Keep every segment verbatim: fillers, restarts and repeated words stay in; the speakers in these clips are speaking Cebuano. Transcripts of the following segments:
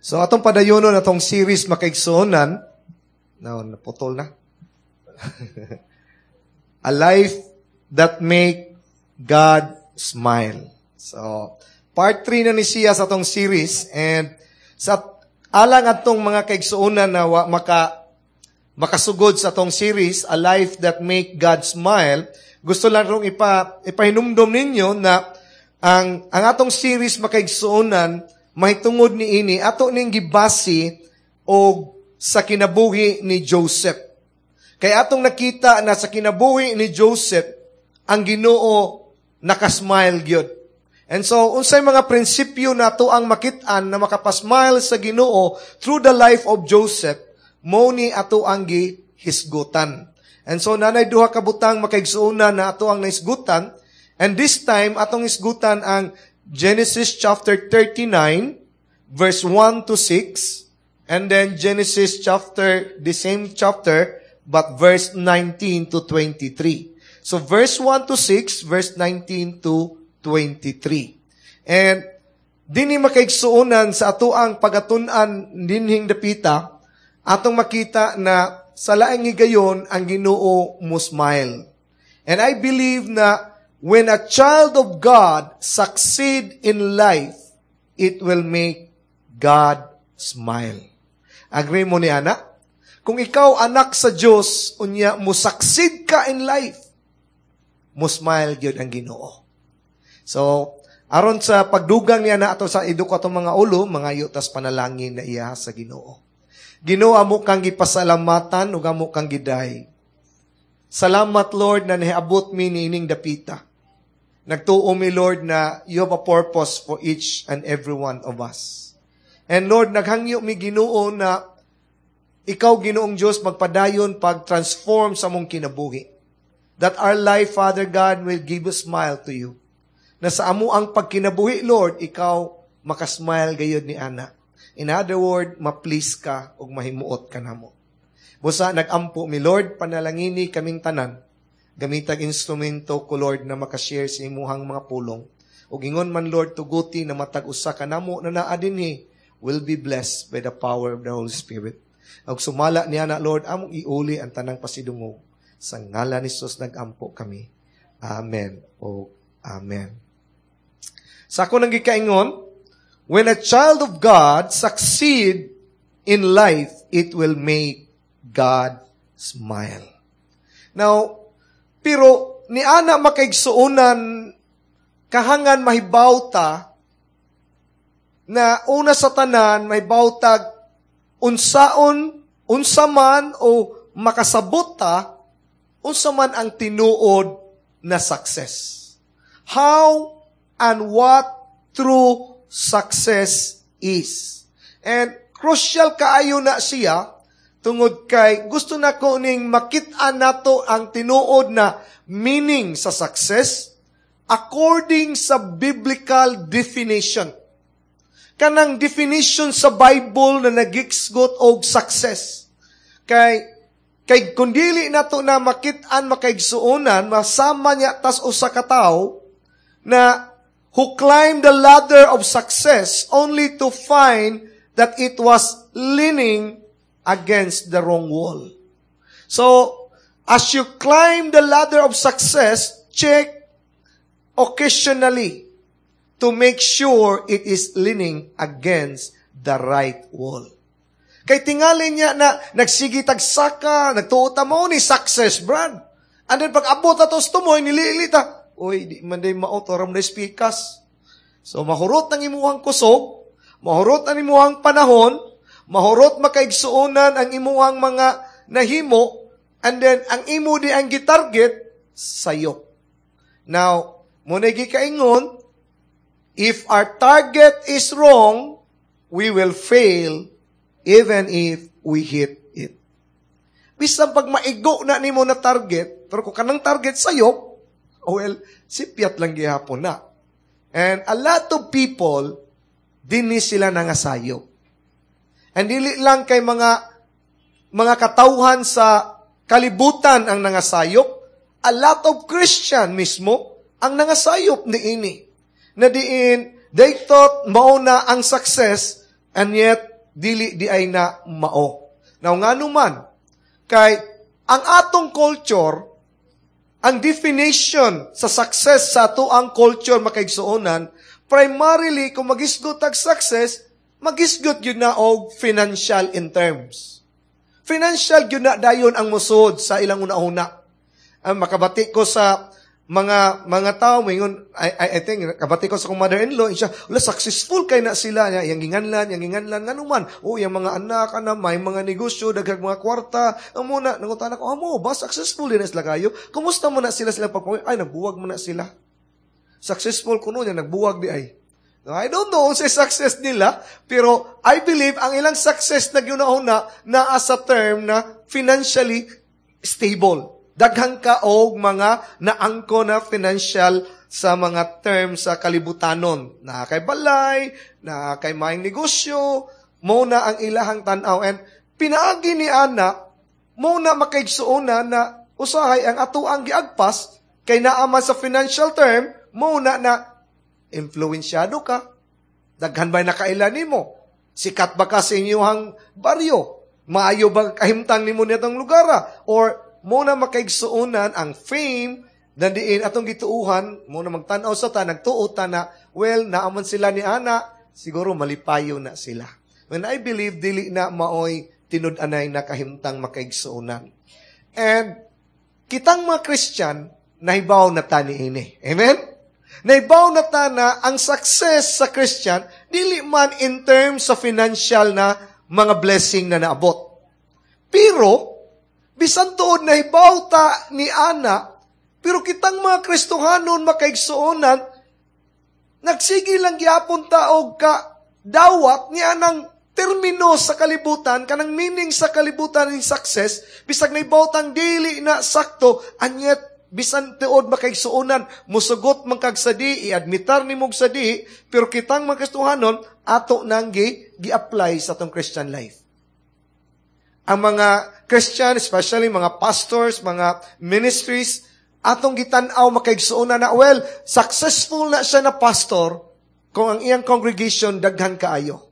So atong padayonon atong series makaigsuonan, now naputol na. A life that make God smile. So, part three na ni siya sa atong series and sa alang atong mga kaigsuonan na wa maka makasugod sa atong series, A Life That Make God Smile, gusto lang rong ipa, ipahinumdom ninyo na ang, ang atong series makaigsuonan, mahitungod ni ini, ato ning gibasi og sa kinabuhi ni Joseph. Kaya atong nakita na sa kinabuhi ni Joseph, ang Ginoo nakasmile gyud. And so, unsay mga prinsipyo na ato ang makit-an na makapasmile sa Ginoo through the life of Joseph, mo ni ato ang gihisgutan. And so, nanay duha ka butang makaigsuonan na ato ang nahisgutan. And this time, atong hisgutan ang Genesis chapter thirty-nine, verse one to six, and then Genesis chapter, the same chapter, but verse nineteen to twenty-three. So, verse one to six, verse nineteen to twenty-three. And, dinhi makaigsuonan sa atoang pagatun-an dinhing dapita, atong makita na sa laing higayon ang Ginoo mo smile. And I believe na when a child of God succeed in life, it will make God smile. Agree mo ni ana? Kung ikaw anak sa Dios, unya mo succeed ka in life, mo smile gyud ang Ginoo. So, aron sa pagdugang niya na ato sa iduk atong mga ulo, mga yutas panalangin na iya sa Ginoo. Ginoo, amo kang gipasalamatan ug amo kang giday. Salamat, Lord, na nahiabot mi niining dapita. Nagtuo mi, Lord, na you have a purpose for each and every one of us. And Lord, naghangyo mi, Ginoo, na ikaw, Ginoong Diyos, magpadayon pag-transform sa among kinabuhi. That our life, Father God, will give a smile to you. Na sa amo ang pagkinabuhi, Lord, ikaw makasmile gayod ni ana. In other word, ma-please ka ug mahimuot ka namo. Busa nag-ampo mi, Lord, panalangini kaming tanan. Gamitag instrumento ko, Lord, na makashare sa imuhang mga pulong. Ug ingon man, Lord, tuguti na matag usa ka namo na naa dinhi will be blessed by the power of the Holy Spirit. Ug sumala niya na, Lord, among iuli ang tanang pasidungog. Sa ngalan ni Jesus nag-ampo kami. Amen o amen. Sa ako nang gikaingon, when a child of God succeed in life, it will make God smile. Now, pero ni ana makaigsuonan kahangan mahibaw ta na una sa tanan mahibaw tag unsaon unsa man o makasabot ta unsa man ang tinuod na success. How and what true success is. And crucial kaayo na siya tungod kay gusto na ko ning makit-an nato ang tinuod na meaning sa success according sa biblical definition. Kanang definition sa Bible na nagiksgot og success. Kay kay kung dili nato na makit-an makaigsuonan, masama niya tas usa ka tawo na who climbed the ladder of success only to find that it was leaning against the wrong wall. So, as you climb the ladder of success, check occasionally to make sure it is leaning against the right wall. Kay tingali niya na nagsige tag saka, nagtuo ta mo ni success, brad. And then pag abot ato sa tumoy, nilili ta. Uy, di man day mao, toram na spikas. So mahurot ang imuhang kusog, mahurot ang imuhang panahon, mahurot makaigsuonan ang imuhang mga nahimo, and then ang imo di ang gitarget, sayop. Now, muna gikaingon, if our target is wrong, we will fail even if we hit it. Bisan pag maigo na nimo na target, pero kung kanang target sayop, well, sipyat lang gihapon na. And a lot of people, dinhi sila nangasayop. And dili lang kay mga mga katawhan sa kalibutan ang nangasayop, a lot of Christian mismo ang nangasayop ni ini. Na diin, they thought mao na ang success, and yet, dili diay na mao. Now ngano man kay ang atong culture, ang definition sa success sa ato ang culture, makaigsuonan, primarily kung magisgot og success, magisgot gyud na og financial in terms. Financial gyud na dayon ang musod sa ilang una-una. Ang makabati ko sa mga mga tao moingon, I, I, I think kabati ko sa akong mother-in-law siya, wala, successful kay na sila niya, yang ginganlan yang ginganlan ngano man, oh, yang mga anak ana may mga negosyo, daghang mga kwarta. Amo na nangutana ko, amo ba, successful din na sila kayo, kumusta mo na sila sila pagpamilya? Ay, nagbuwag mo na sila, successful kuno niya, nagbuwag di ay. I don't know sa success nila, pero I believe ang ilang success na gyud-una naa sa term na financially stable. Daghan ka og mga naangko na financial sa mga terms sa kalibutanon. Na kay balay, na kay maayong negosyo, mo na ang ilahang tan-aw. And pinaagi ni ana, mo na makaigsuona na usahay ang ato ang giagpas, kay naaman sa financial term, mo na na influensyado ka. Daghan ba'y nakaila nimo? Sikat ba ka sa inyong baryo? Maayo ba kahimtang nimo nitong lugar? Or mo na makaigsuonan ang fame na diin atong gituuhan, mo na magtan-aw sa ta, nagtuo ta na, well, naaman sila ni ana, siguro malipayo na sila. When I believe, dili na maoy tinud-anay na kahimtang, makaigsuonan. And kitang mga Christian, nahibaw na ta niini. Amen? Nahibaw na ta na ang success sa Christian, dili man in terms sa financial na mga blessing na naabot. Pero, bisan tuod nahibaw ta ni ana, pero kitang mga Kristohanon, makaigsuonan, nagsige lang gyapon ta og ka dawat ni anang termino sa kalibutan, kanang meaning sa kalibutan ng success, bisag nahibaw tang dili na sakto, and yet, bisan tiod, makaigsuonan, musugot man kag sadi, i-admitar ni mog sadi, pero kitang mga Kristohanon, ato nang gi, gi-apply sa atong Christian life. Ang mga Christian, especially mga pastors, mga ministries, atong gitan-aw, makaigsuonan, na well, successful na siya na pastor kung ang iyang congregation daghan kaayo.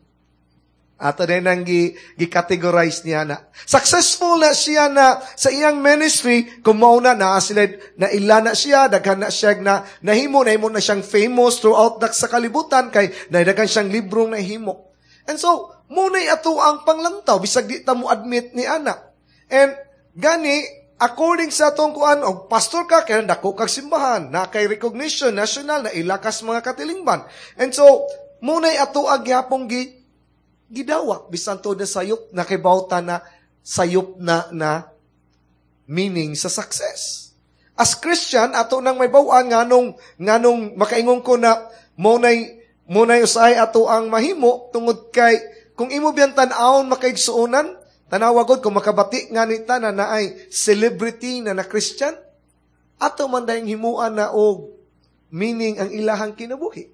Ato din ang gi, gi-categorize niya na. Successful na siya na sa iyang ministry kung mauna na sila, na ila na siya, daghan na siya na nahimo, nahimo na siyang famous throughout the, sa kalibutan kay daghan siyang librong nahimo. And so, muna'y ato ang panglantaw, bisag di ta mo admit ni ana. And gani, according sa atong kuan, og pastor ka, kaya dako kag simbahan, na kay recognition national, na ilakas mga katilingban. And so, muna'y ato ang gihapong gi, gidawa, bisan to na sayop, nakibawta na sayop na na meaning sa success. As Christian, ato nang may bawaan nganong nganong makaingon ko na muna'y muna'y usahay ato ang mahimo tungod kay kung imo biyan tan-awon, makaigsuonan, tanawa gud kung makabati nga ni ta na naay celebrity na na Christian, ato man dayong himuan na og meaning ang ilahang kinabuhi.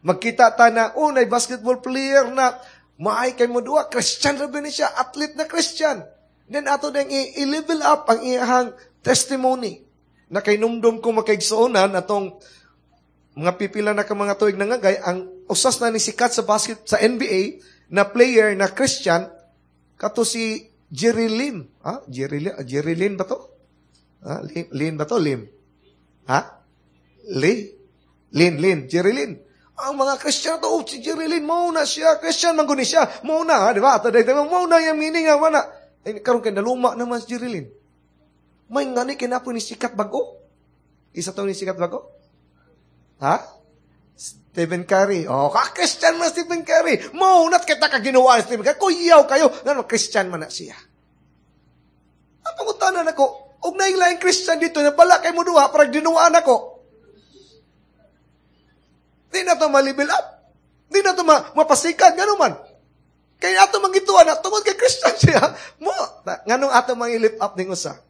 Magkita ta na, oh, nay basketball player na maay kay mo duwa, Christian ra ba ni siya, athlete na Christian. Then ato ding i-level up ang iyahang testimony. Na kay numdum ko, makaigsuonan, atong mga pipila na ka mga tuig nangagay, ang usas na ni sikat sa basket sa N B A na player na Christian kato si Jerry Lim. Ha? Jerry Lim, Jerry Lin ba to? Ha? Lim, Lin ba to? Lim. Ha? Li? Lin, Lin, Jerry Lin. Ang mga Christian to, oh, si Jerry Lin, mao na siya, Christian man guni siya, mao na, ha, di ba? Ato dahil, mao na yung meaning nga, wala. Eh, karon kay naluma naman si Jerry Lin. May ngani kinapo ni sikat bago. Isa to ni sikat bago? Ha? Stephen Curry. Oh, ka-Christian man Stephen Curry. Mao na't kita ka ginawa ni Stephen Curry. Kuyaw kayo. Ngano, Christian man na siya. Ang pangutanan ako, og naing Christian dito, na bala kay mo duha, parang dinuan ako. Di na to ma-level up. Di na to ma mapasikat. Gano man. Kaya ato mangituan na, tungod kay Christian siya. Mo, nganong ato mang-lift up ning usa?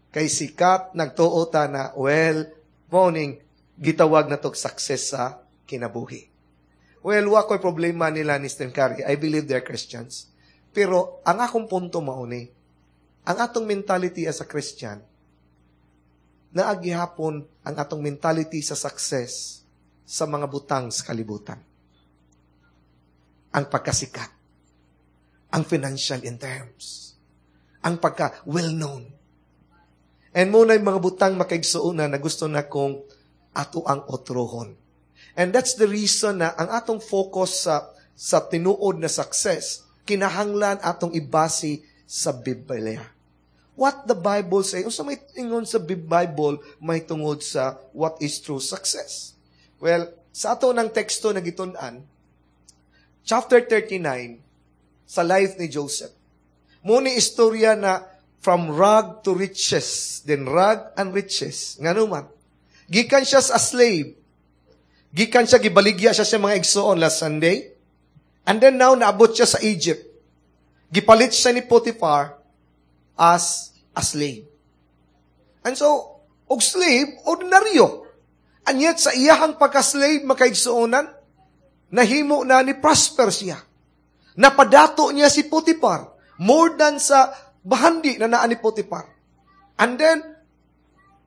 Kay sikat, nagtuo ta na, well, morning, gitawag na to success sa kinabuhi. Well, wa ko'y problema nila ni Stephen Curry. I believe they're Christians. Pero, ang akong punto mauni, ang atong mentality as a Christian, naagihapon ang atong mentality sa success sa mga butang sa kalibutan. Ang pagkasikat. Ang financial in terms. Ang pagka well-known. And mao na mga butang makaigsuonan na gusto na kong ato ang otrohon. And that's the reason na ang atong focus sa sa tinuod na success, kinahanglan atong ibase sa Biblia. What the Bible say, unsa may ingon sa Bible may tungod sa what is true success. Well, sa ato ng teksto na gitun-an, chapter thirty-nine, sa life ni Joseph. Mao ni istorya na from rag to riches, then rag and riches. Ngano man? Gikan siya sa slave. Gikan siya, gibaligya siya sa mga igsoon last Sunday. And then now, naabot siya sa Egypt. Gipalit siya ni Potiphar as a slave. And so, og slave, ordinaryo. And yet, sa iyahang pagka-slave, makaigsuonan, nahimo na ni prosper siya. Napadato niya si Potiphar. More than sa bahandi na naa ni Potiphar. And then,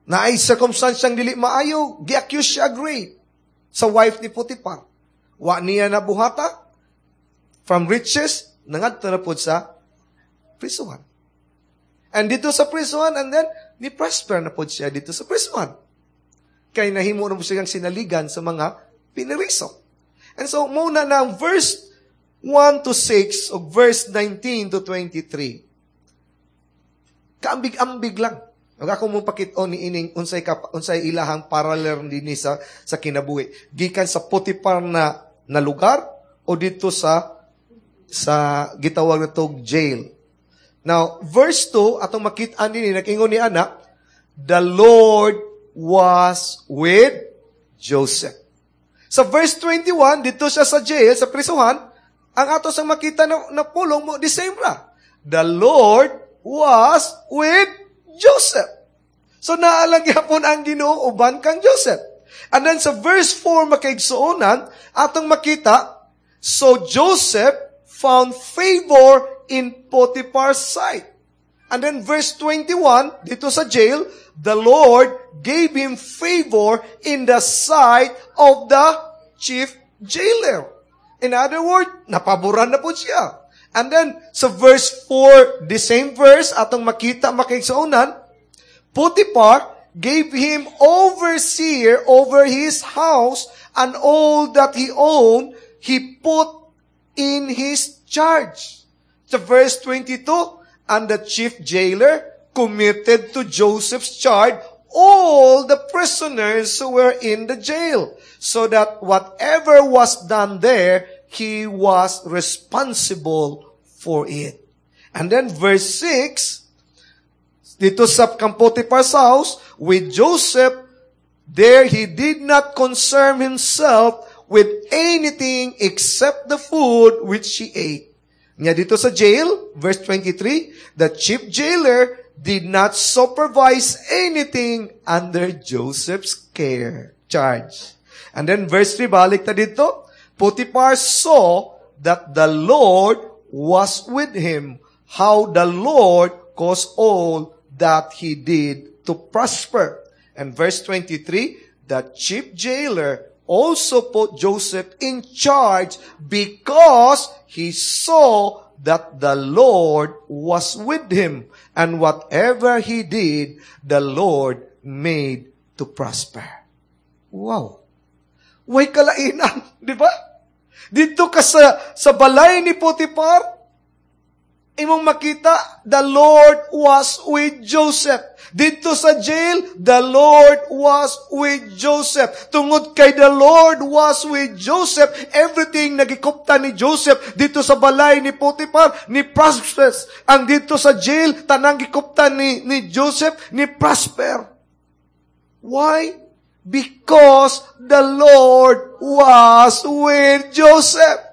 naay circumstance dili maayo, gi-accuse siya rape sa wife ni Potiphar. Wa niya nabuhata, from riches, nangadto na pod sa prisuhan. And dito sa prisuhan, and then, ni prosper na pod siya dito sa prisuhan. Kay nahimo na po siyang sinaligan sa mga piniriso. And so, mao na na ang verse one to six o verse nineteen to twenty-three. Kaambig-ambig lang. Ug ako mo pakit-on ni ining unsay ka, unsay ilahang parallel dinhi sa sa kinabuhi. Gikan sa Potiphar na na lugar o dito sa sa gitawag na tog jail. Now, verse two, atong makita dinhi nag-ingon ni ana, "The Lord was with Joseph." Sa verse twenty-one, dito siya sa jail, sa prisuhan, ang ato sang makita na, na pulong mo, the same ra. "The Lord was with Joseph." So naalang gyapon ang Ginoo uban kang Joseph. And then sa verse four makaigsuonan, atong makita, "So Joseph found favor in Potiphar's sight." And then verse twenty-one, dito sa jail, "The Lord gave him favor in the sight of the chief jailer." In other words, napaboran na po siya. And then, sa verse four, the same verse, atong makita makaigsuonan, "Potiphar gave him overseer over his house, and all that he owned, he put in his charge." Sa verse twenty-two, "And the chief jailer committed to Joseph's charge all the prisoners who were in the jail, so that whatever was done there, he was responsible for it." And then verse six, dito sa kang Potiphar's house, "With Joseph, there he did not concern himself with anything except the food which he ate." Nya dito sa jail, verse twenty-three, "The chief jailer did not supervise anything under Joseph's care, charge." And then verse three, balik ta dito, "Potiphar saw that the Lord was with him, how the Lord caused all that he did to prosper." And verse twenty-three, "The chief jailer also put Joseph in charge because he saw that the Lord was with him, and whatever he did, the Lord made to prosper." Wow! Way kalainan, di ba? Dito ka sa, sa balay ni Potiphar, imong makita, the Lord was with Joseph. Dito sa jail, the Lord was with Joseph. Tungod kay the Lord was with Joseph, everything nagikupta ni Joseph dito sa balay ni Potiphar, ni prosper. Ang dito sa jail, tanang gikupta ni, ni Joseph, ni prosper. Why? Because the Lord was with Joseph.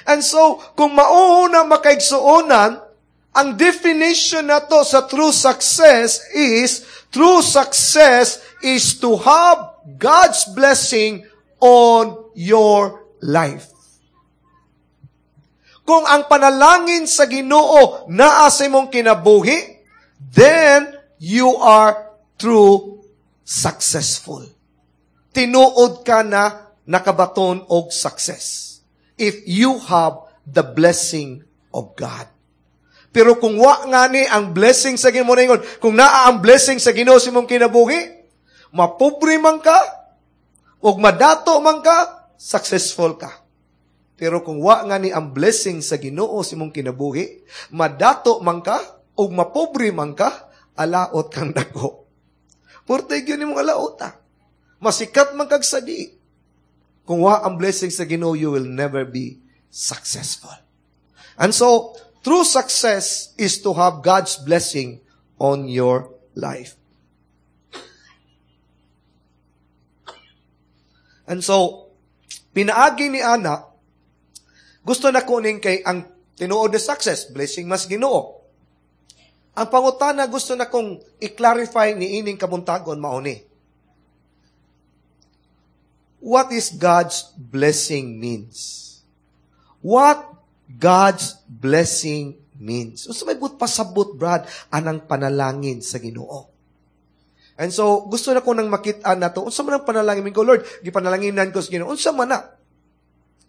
And so, kung mauuna makaigsuonan, ang definition na to sa true success is, true success is to have God's blessing on your life. Kung ang panalangin sa Ginoo naa sa imong kinabuhi, then you are true successful. Tinuod ka na nakabaton og success if you have the blessing of God. Pero kung wa nga ni ang blessing sa Ginoo ingon, kung naa ang blessing sa Ginoo sa imong kinabuhi, mapobre man ka, ug madato man ka, successful ka. Pero kung wa nga ni ang blessing sa Ginoo sa imong kinabuhi, madato man ka ug mapobre man ka, alaot kang dako. Purte gyud nimong alaot ah. Masikat man kag sadi. Kung wa ang blessing sa Ginoo, you will never be successful. And so, true success is to have God's blessing on your life. And so, pinaagi ni Ana, gusto na kuning kay ang tinuod na success, blessing mas Ginoo. Ang pangutana gusto na kong i-clarify ni ining kabuntagon mauni. What is God's blessing means? What God's blessing means? So may but pasabot, Brad, anang panalangin sa Ginoo. And so, gusto na ko nang makita na to. Unsa man ang panalangin ko, Lord? Gipanalanginan ko sa Ginoo. Unsa man na?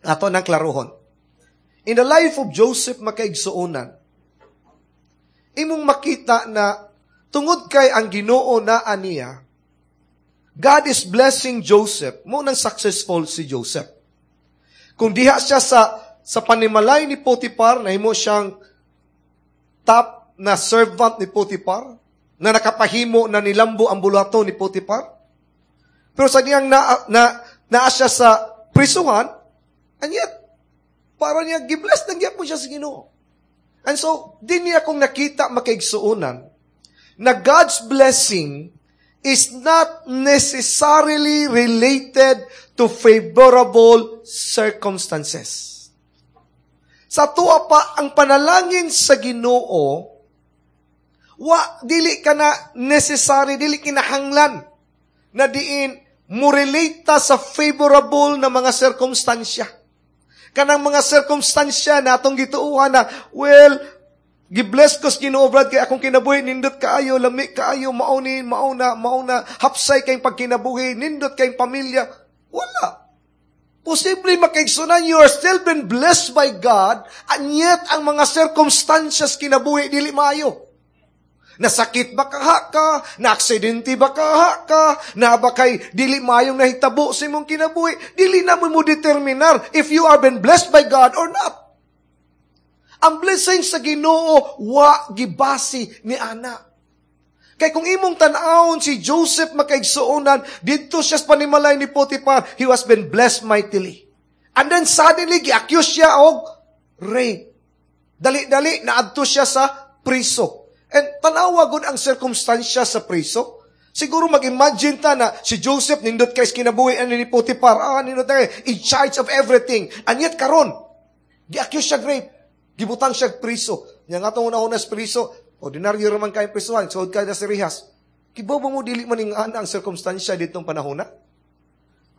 Ato nang klarohon. In the life of Joseph makaigsuonan, imong makita na tungod kay ang Ginoo na aniya, God is blessing Joseph. Mo nang successful si Joseph. Kung diha siya sa sa panimalay ni Potiphar, nahimo siyang top na servant ni Potiphar, na nakapahimo na nilambo ang bulato ni Potiphar. Pero sa diyang na, na, naa siya sa prisuhan, and yet, para niya, gibless na gyapon siya sa Ginoo. And so, di niya akong nakita makaigsuonan na God's blessing is not necessarily related to favorable circumstances. Sa tuwa pa, ang panalangin sa Ginoo, wa, dili ka na necessary, dili kinahanglan na diin mo relate ta sa favorable na mga sirkumstansya. Kanang mga sirkumstansya na atong gituohan na, well, gibless ko sa Ginoo, Brad, kay akong kinabuhi, nindot kaayo, lami kaayo, mauni, mauna, mauna, hapsay kayong pagkinabuhi, nindot kayong pamilya. Wala. Posible makaigsunan, you are still been blessed by God, and yet ang mga circumstances kinabuhi, dili maayo. Nasakit ba kaha ka? Naaksidente ba kaha ka? Na ba kay dili maayong nahitabo sa imong kinabuhi? Dili na mo mo determinar if you are been blessed by God or not. Ang blessing sa Ginoo wa gibasi ni ana. Kay kung imong tan-awon si Joseph makaigsuonan, didto siya sa panimalay ni Potiphar, he was been blessed mightily. And then suddenly gi-accuse siya og rape. Dali-dali naadto siya sa priso. And tanawa gud ang sirkumstansya sa priso. Siguro mag-imagine ta na si Joseph nindot kay kinabuhi ani ni Potiphar, ah, nindot kay in charge of everything. And yet karon, gi-accuse siya rape. Gibutang siya priso. Nya nga atong una-una sa priso, ordinaryo raman kay prisuhan, suod kay sa rihas. Kibaw ba mo dili man ing ana ang sirkumstansya ditong panahona?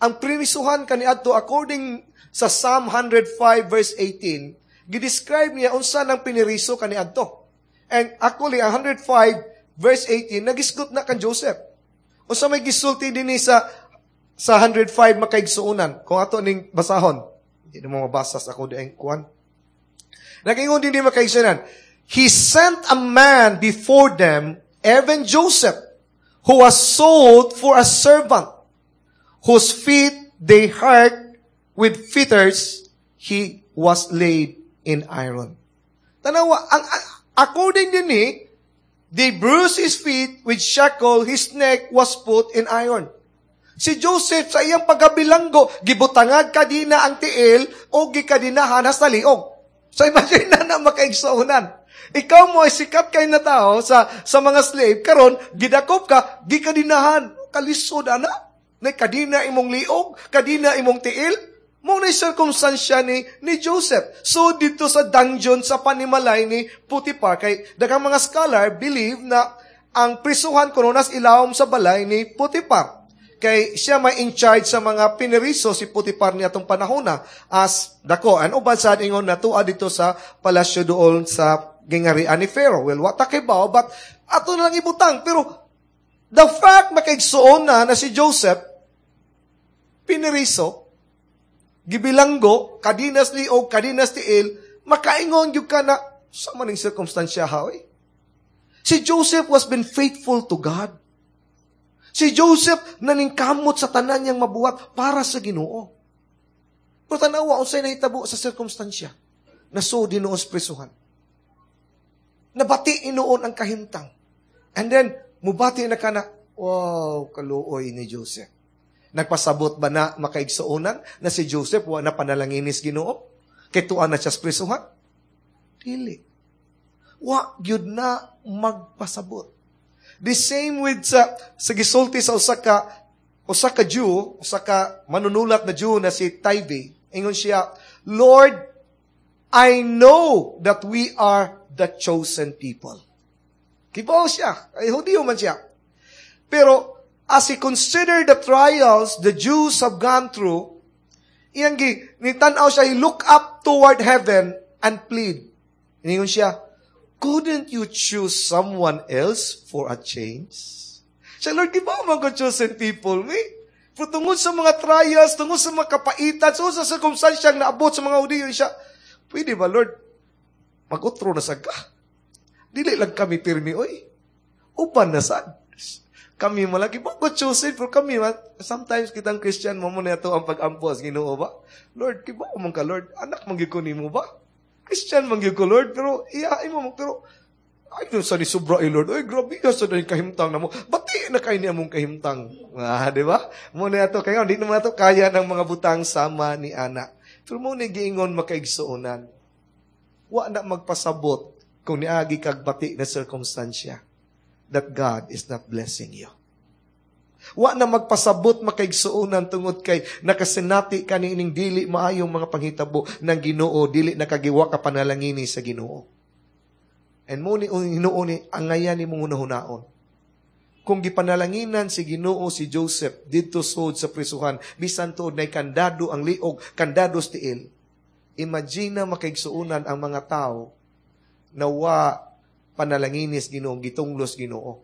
Ang primisuhan kaniadto according sa Psalm one hundred five verse eighteen, gidescribe niya unsa nang piniriso kaniadto. And actually, one hundred five verse eighteen, nagisgot na kan Joseph. Unsa may gisulti dinhi sa sa one hundred five makaigsuonan? Kung ato ning basahon, hindi na mo mabasa sa ako dieng kuan. Nagingon din di makaigsuonan. He sent a man before them, even Joseph, who was sold for a servant, whose feet they hurt with fetters, he was laid in iron. Tanawa, ang, ang according din ni, they bruised his feet with shackle, his neck was put in iron. Si Joseph sa iyang pagkabilanggo, gibutangag kadina ang tiil o gikadinahan hasta liog. So imagine na na makaigsuonan. Ikaw mo ay sikat kay na tao sa, sa mga slave, karon gidakop ka, gikadinahan. Kalisod ana. Na kadina imong liog, kadina imong tiil. Mo na sirkumstansya ni, ni Joseph. So, dito sa dungeon sa panimalay ni Potiphar, kay daghang mga scholar believe na ang prisuhan kuno nas ilawom sa balay ni Potiphar. Kay siya may in charge sa mga piniriso si Potiphar niya atong panahona as dako. An uban sa ingon natua dito sa palasyo doon sa gingarian ni Pharaoh. Well, what kay bao, but ato na lang ibutang. Pero the fact makaigsuon na na si Joseph piniriso, gibilanggo, kadinas liog, kadinas tiil, Makaingon gyud ka na sa maning sirkumstansya ha, oy. Si Joseph was been faithful to God. Si Joseph naningkamot sa tanan niyang mabuhat para sa Ginoo. Pero tanawa unsay nahitabo sa sirkumstansya. Nasud hinuon sa prisuhan. Nabati hinuon ang kahimtang. And then, mubati na ka na, wow, kaluoy ni Joseph. Nagpasabot ba na makaigsuonan na si Joseph wa na panalanginis Ginoo? Kay tuan na siya sa prisuhan? Dili. Wa gyud na magpasabot. The same with sa sa gisulti sa usa ka usa ka Jew, usa ka manunulat na Jew na si Taibe. Ingon siya, Lord, I know that we are the chosen people. Kibaw siya. Ay, Hudiyo man siya. Pero, as he considered the trials the Jews have gone through, iyang gi, nitanaw siya, he look up toward heaven and plead. Ingon siya, couldn't you choose someone else for a change? Siya, Lord, di ba man ko chosen people, me? Pero tungod sa mga trials, tungod sa mga kapaitan, tungod sa circumstansyang naabot sa mga Hudiyo, siya, pwede ba, Lord, mag-utro na sa ka? Dili lang kami pirmi, oy. Uban na sad. Kami malagi ba ko chosen pero kami sometimes kitang Christian mo mo na ang pag-ampo sa Ginoo ba? Lord, kibaw man ka Lord, anak man gyud ko nimo ba? Christian man gyud ko Lord, pero iya mo pero ay dun sa ni sobra eh, Lord. Ay, grabe ka sa dahil kahimtang na mo. Bati na kay niya mong kahimtang. Ah, di ba? Mo na ato kaya di naman ato kaya ng mga butang sama ni ana. Pero mo ni giingon makaigsuonan. Wa na magpasabot kung niagi kag bati na sirkumstansya that God is not blessing you. Wa na magpasabot makaigsuonan tungod kay nakasinati ka niining dili maayong mga panghitabo ng Ginoo, dili nakagiwa ka panalangini sa Ginoo. And mo ni Ginoo ni angayan ni mong hunahunaon. Kung gipanalanginan si Ginoo si Joseph didto sud sa prisuhan, bisan tuod nay kandado ang liog, kandado sa tiil. Imagine na makaigsuonan ang mga tao na wa panalanginis Ginoo, gitunglos Ginoo.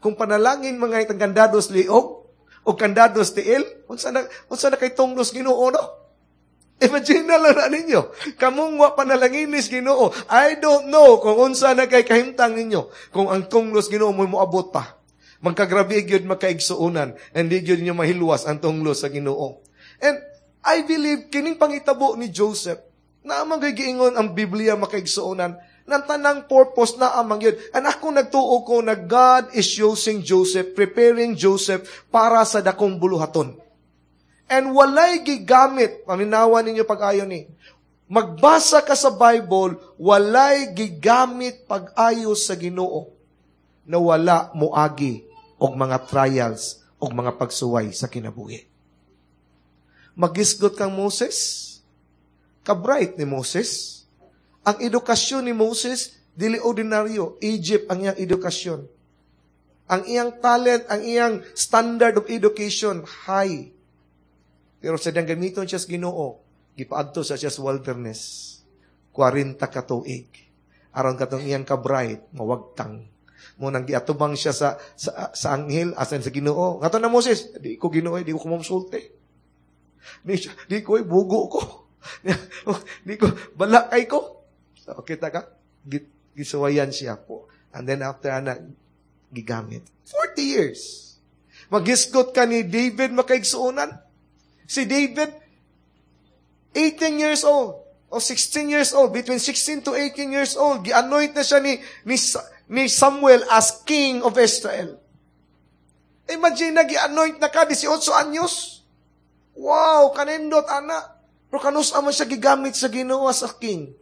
Kung panalangin mga itang kandados liog o kandados tiil, unsa na unsa na kay tunglos Ginoo no? Imagine na lang na ninyo. Kamong wa panalanginis Ginoo. I don't know kung unsa na kay kahimtang ninyo. Kung ang tunglos Ginoo mo moabot pa. Magkagrabe gyud makaigsuonan and di gyud ninyo mahilwas ang tunglos sa Ginoo. And I believe kining pangitabo ni Joseph na amang giingon ang Biblia makaigsuonan ng tanang purpose na amang yun. And ako nagtuo ko na God is using Joseph, preparing Joseph para sa dakong buluhaton. And walay gigamit, paminawan ninyo pag-ayo ni, magbasa ka sa Bible, walay gigamit pag-ayo sa Ginoo na wala moagi og mga trials og mga pagsuway sa kinabuhi. Magisgot kang Moses, kabright ni Moses, ang edukasyon ni Moses, dili ordinaryo. Egypt ang iyang edukasyon. Ang iyang talent, ang iyang standard of education, high. Pero sa diyang gamiton siya sa Ginoo, gipaadto sa siya sa wilderness. kwarenta ka tuig. Aron katong iyang kabright, mawagtang. Mo nang giatubang siya sa sa, sa anghel asan sa Ginoo. Ngato na Moses, di ko Ginoo, di ko kumamsulte. Di, di ko, bugo ko. di ko, balakay ko. So, kita ka? Gisuwayan siya po. And then after ana, gigamit. forty years. Magisgot ka ni David makaigsuonan. Si David, eighteen years old o sixteen years old, between sixteen to eighteen years old, gi-anoint na siya ni, ni, ni Samuel as king of Israel. Imagine na gi-anoint na ka, eighteen anyos. Wow, kanindot, ana. Pero kanus man siya gigamit sa Ginoo as a king.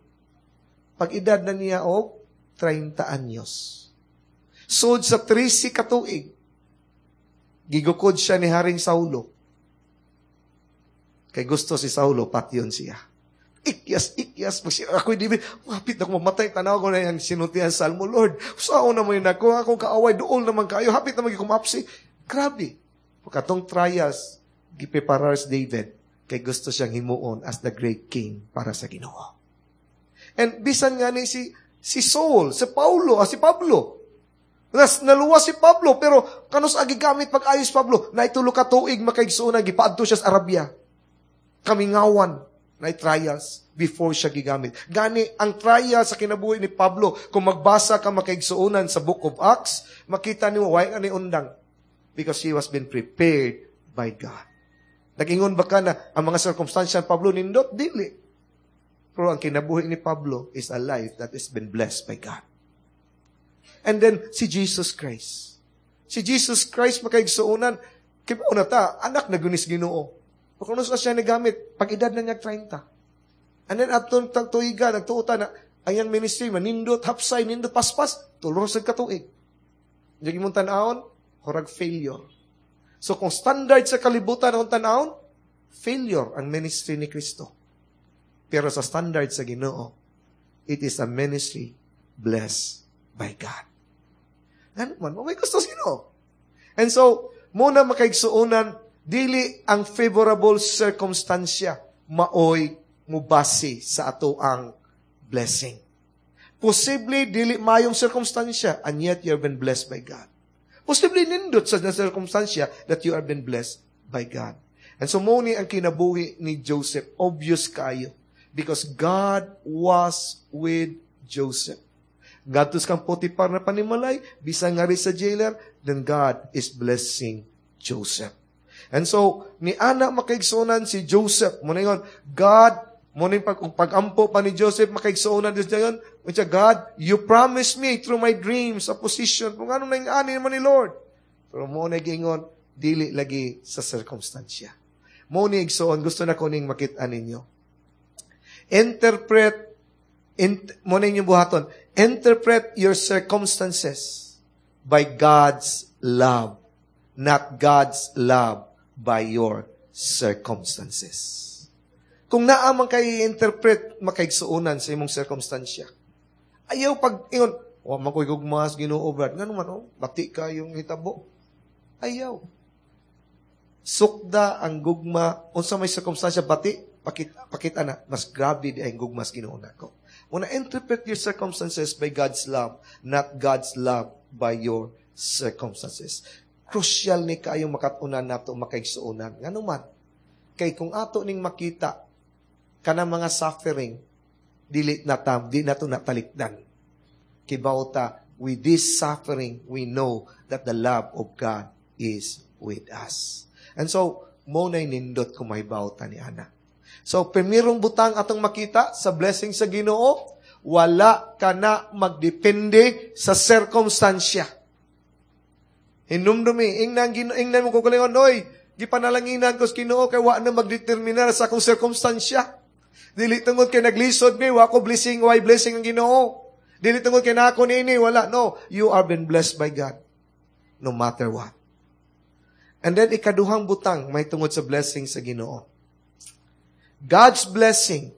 Pag-edad na niya og thirty anyos. Sud sa thirty ka tuig, gigukod siya ni Haring Saulo. Kay gusto si Saulo, patyon siya. Ikyas, ikyas. Ako'y di, mapit na ko mamatay. Tanaw ko na yan, sinuntihan sa Salmo, Lord, saan na mo yun ako? Akong kaaway, dool naman kayo. Hapit na magigumapsi. Grabe. Pagkatong trials, gipreparar si David, kay gusto siyang himuon as the great king para sa Ginoo. And bisan nga ni si, si Saul, si Paulo, ah, si Pablo. Nas, naluwas si Pablo, pero kanus agi gamit pag-ayos Pablo, naitulo ka tuig makaigsuonan, gipaadto siya sa Arabia. Kamingawan. Na trials before siya gigamit. Gani, ang trial sa kinabuhi ni Pablo, kung magbasa ka makaigsuonan sa Book of Acts, makita nimo way ni undang. Because he was been prepared by God. Nag-ingon ba ka na ang mga circumstansya ni Pablo nindot? Dili. Pero ang kinabuhi ni Pablo is a life that has been blessed by God. And then, si Jesus Christ. Si Jesus Christ makaigsuonan, kibaw na ta, anak na gunis Ginoo. Kung ano siya nagamit, pag edad na niya thirty. And then, atong tuiga, nagtuo ta na, ang ministry, manindot, hapsay, nindot, paspas, tulo sa katuig. Hindi mong tanawon, hurag failure. So, kung standard sa kalibutan ang tanawon, failure ang ministry ni Kristo. Pero sa standard sa Ginoo, it is a ministry blessed by God. Ano man, may gusto sa Ginoo. And so, muna makaigsuonan, dili ang favorable circumstansya maoy mubase sa ato ang blessing. Posible dili mayong circumstansya and yet you have been blessed by God. Posible nindot sa circumstansya that you have been blessed by God. And so mo ni ang kinabuhi ni Joseph, obvious kayo because God was with Joseph. Ngadto kang Potiphar na panimalay, bisan nga sa jailer, then God is blessing Joseph. And so, ni ana makaigsuonan si Joseph, mo na yun, God, mo na pag, pag-ampo pa ni Joseph, makaigsuonan Diyos niya yun, God, you promised me through my dreams a position, kung ano na yung ani naman ni Lord. Pero mo na gingon, dili lagi sa circumstansya. Mo ni igsuon, gusto na ko ning makita ninyo. Interpret, int, mo na inyong buhaton, interpret your circumstances by God's love, not God's love by your circumstances. Kung naa man kay interpret makaigsuonan sa imong circumstansya. Ayaw pag ingon, wa man ko'y gugma sa Ginoo brad. Ngano man oh, bati kayong hitabo. Ayaw. Sukda ang gugma unsa may circumstansya bati pakita, pakita na mas grabe di ang gugma sa Ginoo nako. Muna interpret your circumstances by God's love, not God's love by your circumstances. Crucial ni kaayong makatunan nato makaigsuonan. Ngano man? Kay kung ato ning makita kanang mga suffering dili na tam, di nato natalikdan. Kibaw ta, with this suffering, we know that the love of God is with us. And so, mo na'y nindot kung mahibaw ta ni ana. So, primerong butang atong makita sa blessing sa Ginoo, wala ka na magdepende sa circumstansya. Hinumdumi, ingnan, ingnan mo kagalingon, oy, gipanalanginan ko sa Ginoo kay wa na magdeterminar sa akong sirkumstansya. Dili tungod kay naglisod mi, wa ko blessing, why blessing ang Ginoo. Dili tungod kay nako niini, wala. No, you are been blessed by God. No matter what. And then ikaduhang butang may tungod sa blessing sa Ginoo. God's blessing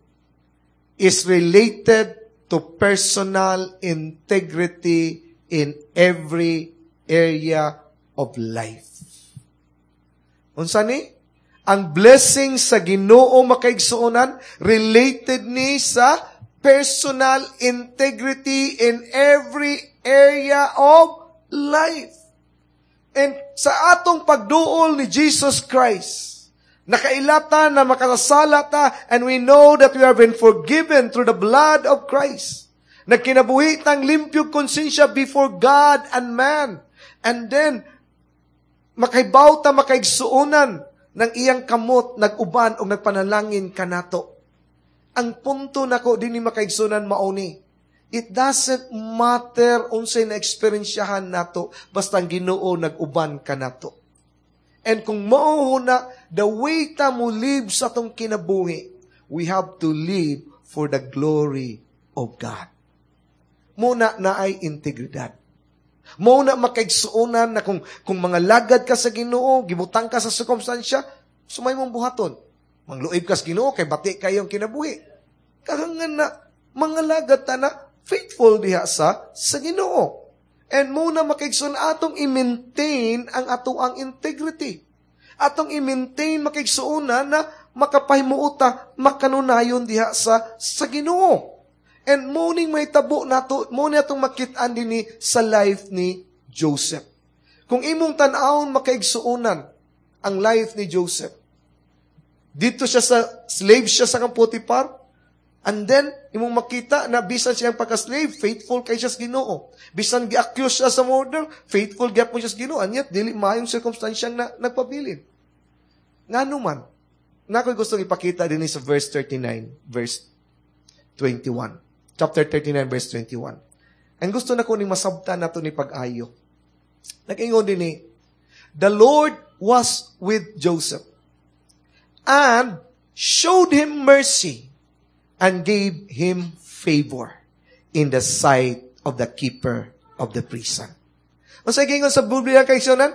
is related to personal integrity in every area of life. Unsa ni? Ang blessing sa Ginoo makaigsuonan related ni sa personal integrity in every area of life. And sa atong pagduol ni Jesus Christ, nakailata na makasasala ta, and we know that we have been forgiven through the blood of Christ. Nagkinabuhi tang limpyo konsensya before God and man. And then, makahibaw ta makaigsuonan ng iyang kamot, nag-uban o nagpanalangin kanato. Ang punto nako dinhi makaigsuonan mauni. It doesn't matter unsay na eksperyensyahan nato basta ang Ginoo nag-uban kanato. And kung mao na the way ta mo live sa atong kinabuhi, we have to live for the glory of God. Muna na ay integridad. Muna makaigsuonan na kung, kung mga lagad ka sa Ginoo, gibutang ka sa sirkumstansya, sumay mong buhaton. Mangluib ka sa Ginoo kay bati kayong kinabuhi. Kahangan na mga lagad ta na faithful diha sa sa Ginoo. And muna makaigsoon atong i-maintain ang ato ang integrity. Atong i-maintain makaigsuonan na makapahimuota makanunayon diha sa sa Ginoo. And morning may tabo nato, mo ni atong makit-an dinhi sa life ni Joseph. Kung imong tan-awon makaigsuonan ang life ni Joseph, Dito siya sa slave siya sa kang Potiphar. And then, imong makita na bisan siyang pagka-slave, faithful kay siya sa Ginoo. Bisan gi-accuse siya sa murder, faithful gyapon siya sa Ginoo. And yet, dili maayong circumstansyang na, nagpabilin. Ngano man, na ako'y gustong ipakita din sa verse thirty-nine, verse twenty-one. Chapter thirty-nine, verse twenty-one. And gusto na ko ni masabtan nato ni pag-ayo. Nag-ingon din ni, "The Lord was with Joseph and showed him mercy and gave him favor in the sight of the keeper of the prison." Unsa gingon sa Biblia, kaigsuonan?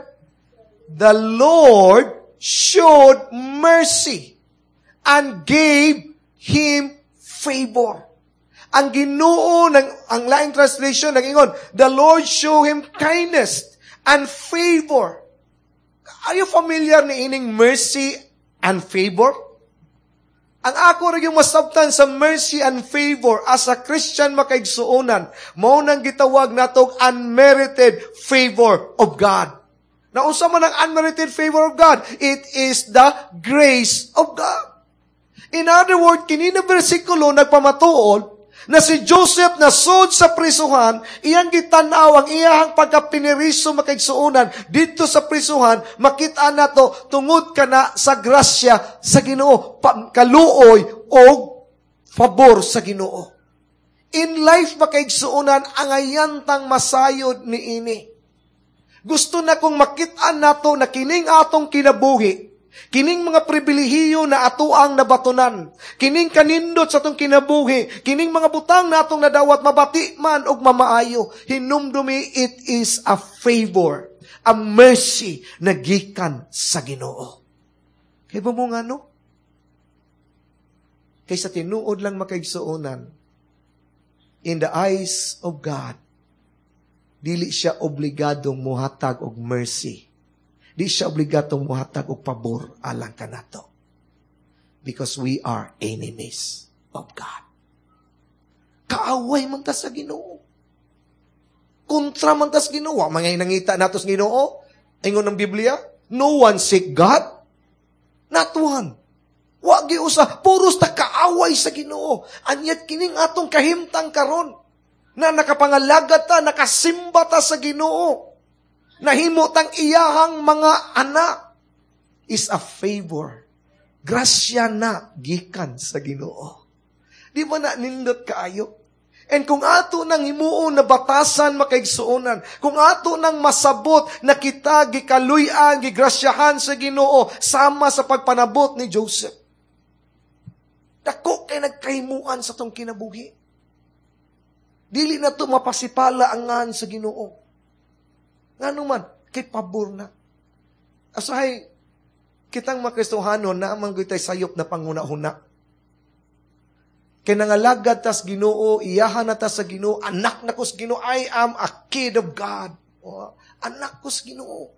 The Lord showed mercy and gave him favor. Ang Ginoo ng ang laing translation nag-ingon, "The Lord show him kindness and favor." Are you familiar ni ining mercy and favor? Ang ako ra yung masabtan sa mercy and favor as a Christian, makaigsuonan, mao nang gitawag natog unmerited favor of God. Na unsa man ang unmerited favor of God? It is the grace of God. In other words, kini na bersikulo nagpamatuod na si Joseph na sud sa prisuhan, iyang gitanaw ang iyahang pagkapiniriso, makaigsuonan, dito sa prisuhan, makita nato tungod kana sa grasya sa Ginoo, kaluoy o pabor sa Ginoo. In life, makaigsuonan, ang ayantang masayod ni ini. Gusto na kong makita nato na kining atong kinabuhi, kining mga pribilehiyo na ato ang nabatunan, kining kanindot sa atong kinabuhi, kining mga butang na atong nadawat, mabati man og mamaayo, hinumdumi it is a favor, a mercy na gikan sa Ginoo. Kay ba mo nga no? Kaysa tinuod lang, makaigsuonan, in the eyes of God, dili siya obligadong muhatag og mercy. Di siya obligadong muhatag og pabor alang kanato. Because we are enemies of God. Kaaway man ta sa Ginoo. Kontra man ta sa Ginoo. Wa man nangita nato sa Ginoo. Ingon ng Biblia, no one seek God. Not one. Wa giusa, puros ta kaaway sa Ginoo. And yet kining atong kahimtang karon na nakapangalagad ta, nakasimba ta sa Ginoo, nahimo tang iyahang mga anak, is a favor. Grasya na gikan sa Ginoo. Di ba na nindot kaayo? And kung ato nang himuon na batasan, makaigsuonan, kung ato nang masabot na kita gikaluy-an, gigrasyahan sa Ginoo sama sa pagpanabot ni Joseph, dako kay nagkahimuan sa tong kinabuhi. Dili na to mapasipala ang ngan sa Ginoo. Ngano man, kay pabor na. Asahay, kitang mga Kristohano, naamang gitay sayop na panghuna-huna. Kay nangalagad tas Ginoo, iyahan na ta sa Ginoo, anak na ko sa Ginoo, I am a kid of God. Oh, anak ko sa Ginoo.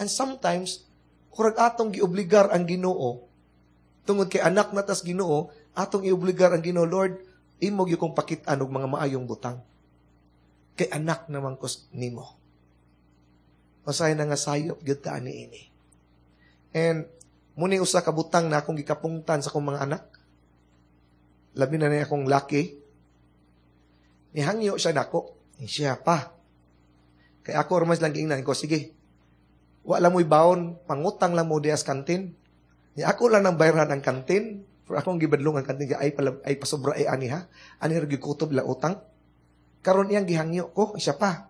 And sometimes, kurag atong giobligar ang Ginoo, tungod kay anak na tas Ginoo, atong iobligar ang Ginoo, "Lord, imo gyud kong pakit-an og mga maayong butang. Kay anak naman ko nimo." Masay na nga sayop gyud ta ani ini. And muni usa ka butang na akong gikapungtan sa akong mga anak. Labi na niya akong laki. Nihangyo siya nako. Siya pa. Kay ako ramas lang giingnan ko, "Sige. Wa lang mo'y baon, pangutang lang mo diya sa kantin." Ni ako lang nang bayran ang kantin. For akong gibadlong ang kantin, ay, pala, ay pasobra ay ani ha. Ani ra gikutob la utang. Karon iyang gihangyo ko, siya pa.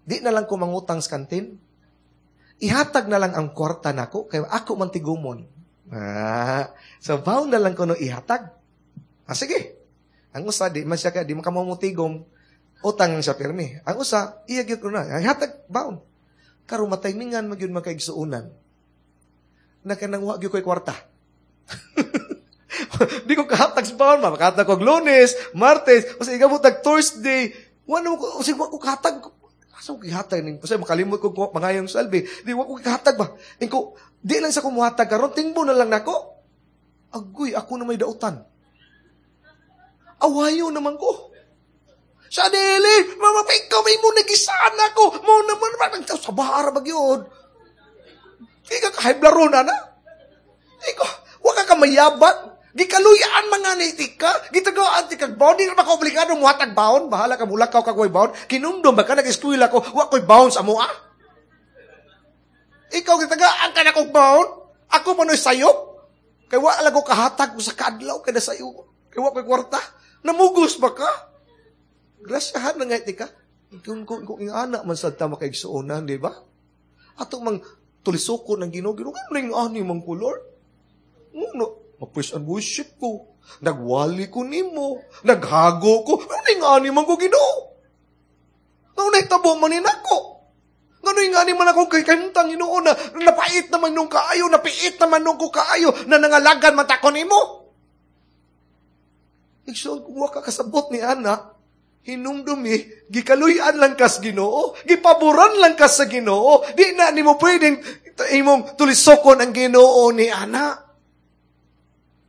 "Di na lang ko mangutang sa kantin. Ihatag na lang ang kwarta nako kay ako man tigumon." Ah, so baon na lang ko no ihatag. Ah, sige. Ang usa di man siya kay di man kamo utang siya pirmi. Ang usa iya gyud ko na. Ihatag baon. Karon mataymingan man gyud makaigsuonan. Na kanang wa gyud ko'y kwarta. Di ko kahatag sa baon, makahatag ko Lunes, Martes, kasi igabot tag Thursday, wala ko, kasi wa ko kahatag. Asa ko gihatag ning kasi makalimot ko mangayong salbi. Di wa ko gihatag ba. Ingko, di lang sa kumuhatag karon, tingbo na lang nako. Agoy, ako na may dautan. Awayo naman ko. Sa dili, mama, ikaw may mo nagisaan ako. Mo naman, sa bahara ba yun? Ikaw, kahiblaro na na. Ikaw, Wa ka kamayabat. Gikaluyan mga ni ka. Gitagaan ti kag baon. Di ka obligado muhatag baon. Bahala ka mulakaw kag way baon. Kinumdum ba ka nag-eskwela ko, wa ko'y baon sa amoa. Ikaw gitagaan ka na kog baon. Ako pa no'y sayop. Kay wa lang ko kahatag ko sa kadlaw kay sayo. Kay wa ko'y kwarta. Namugos ba ka? Grasyahan na nga ti ka. Kung kung kung ingana man sad ta makaigsuonan, di ba? Ato mang tulisoko ng Ginoo, Ginoo ano yung ani mang ko, Lord? Nguno, ma-praise and worship ko. Nagwali ko nimo, naghago ko. Ano yung ani man ko, Ginoo? Ngano nahitabo man ni nako? Ngano yung ani man ako kay kahimtang Ginoo na napait naman nung kaayo, napiit naman nung ko kaayo, na nangalagan man ta ko nimo? Igsoon, kung wa ka kasabot ni ana, hinumdumi, gikaluyan lang kas Ginoo, gipaboran lang kas sa Ginoo, di na nimo pwedeng imong tulisokon ang Ginoo ni ana.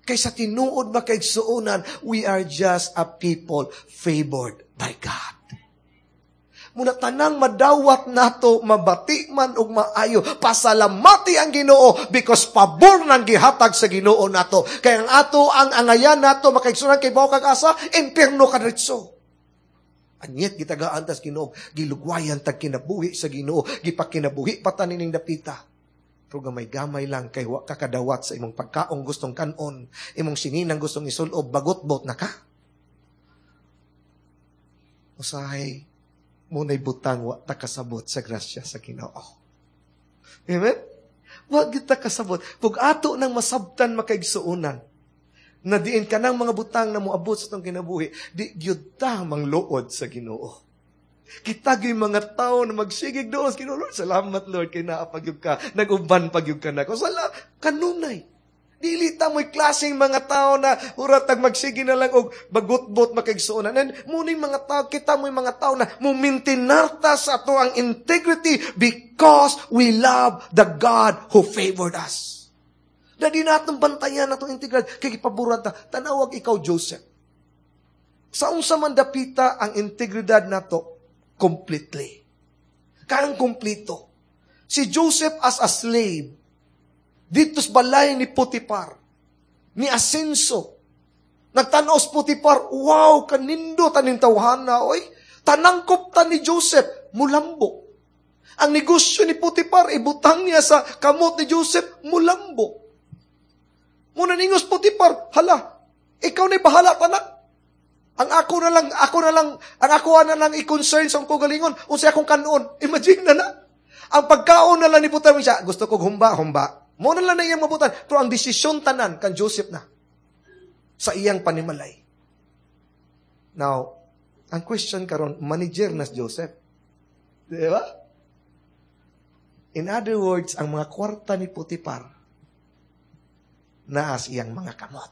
Kaysa tinuod makaigsuonan, we are just a people favored by God. Muna tanang madawat nato, mabati man og maayo, pasalamati ang Ginoo because pabor nang gihatag sa Ginoo nato. Kaya ang ato ang angayan nato makaigsuonan kay bawo kag asa, impierno kadritso. Anyet gitagaan tas Ginoo, gilugwayan tag kinabuhi sa Ginoo, gipakinabuhi pa ta nining dapita. Pero gamay-gamay lang kay wa ka kadawat sa imong pagkaong gustong kanon, imong sininang gustong isulob, bagot-bot na ka. Usahay, muna'y butang wa ta kasabot sa grasya sa Ginoo. Amen? Wa gyud ta kasabot. Pug ato nang masabtan makaigsuonan, na diin ka ng mga butang na moabot sa itong kinabuhi, di gyud ta mangluod sa Ginoo. Kita gyud mga tao na magsigig doon sa Ginoo. Lord, salamat Lord, kay naa pa gyud ka, nag-uban pa gyud ka na. Sala, kanunay. Dili ta mo'y klaseng mga tao na uratag magsige na lang og bagutbot makaigsuonan. And muning mga tao, kita mo'y mga tao na mumintinarta sa ato ang integrity because we love the God who favored us. Na di natong bantayan atong integridad, kay gipaboran ta, tanawag ikaw, Joseph. Sa unsa man dapita ang integridad nato, completely. Karang kumplito. Si Joseph as a slave, dito sa balay ni Potiphar, ni Asenso, nagtanaw si Potiphar, wow, kanindo taning tawhana, oy. Tanangkop ta ni Joseph, mulambo. Ang negosyo ni Potiphar, ibutang niya sa kamot ni Joseph, mulambo. Muna ningos Potiphar, hala, ikaw na bahala tanan. Ang ako na lang, ako na lang, ang ako na lang i-concern sa akong galingon, unsay akong kanon. Imagine na na. Ang pagkaon na lang ni Potiphar siya, gusto kong humba, humba. Muna lang na iyang mabutan. Pero ang desisyon tanan kan Joseph na sa iyang panimalay. Now, ang question karon, manager na si Joseph. Di ba? In other words, ang mga kwarta ni Potiphar naas iyang mga kamot.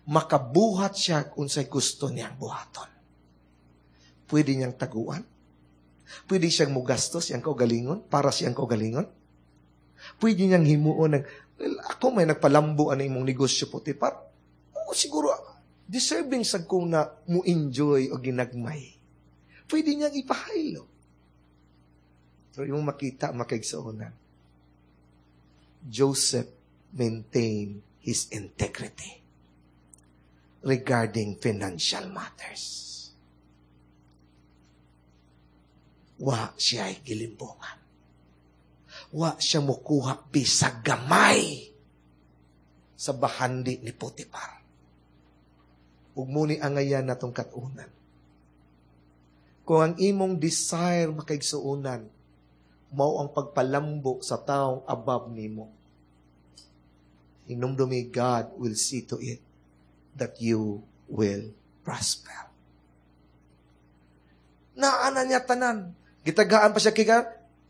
Makabuhat siya kung unsay gusto niyang buhaton. Pwede niyang taguan. Pwede siyang mugastos siyang kaugalingon, para siyang kaugalingon. Pwede niyang himuon ng, well, ako may nagpalambo ano imong negosyo, Potiphar. Oo, siguro, deserving sa ko na mo-enjoy o ginagmay. Pwede niyang ipahaylo. Pero yung makita, makaigsuonan, Joseph maintained his integrity regarding financial matters. Wa siya ay gilimbungan. Wa siya mukuha bisag gamay sa bahandi ni Potiphar. Ug muni angayan natong katunan. Kung ang imong desire makaigsuonan, mao ang pagpalambo sa taong above nimo. Hinumdumi, God will see to it that you will prosper. Naana niya tanan. Gitagaan pa siya kay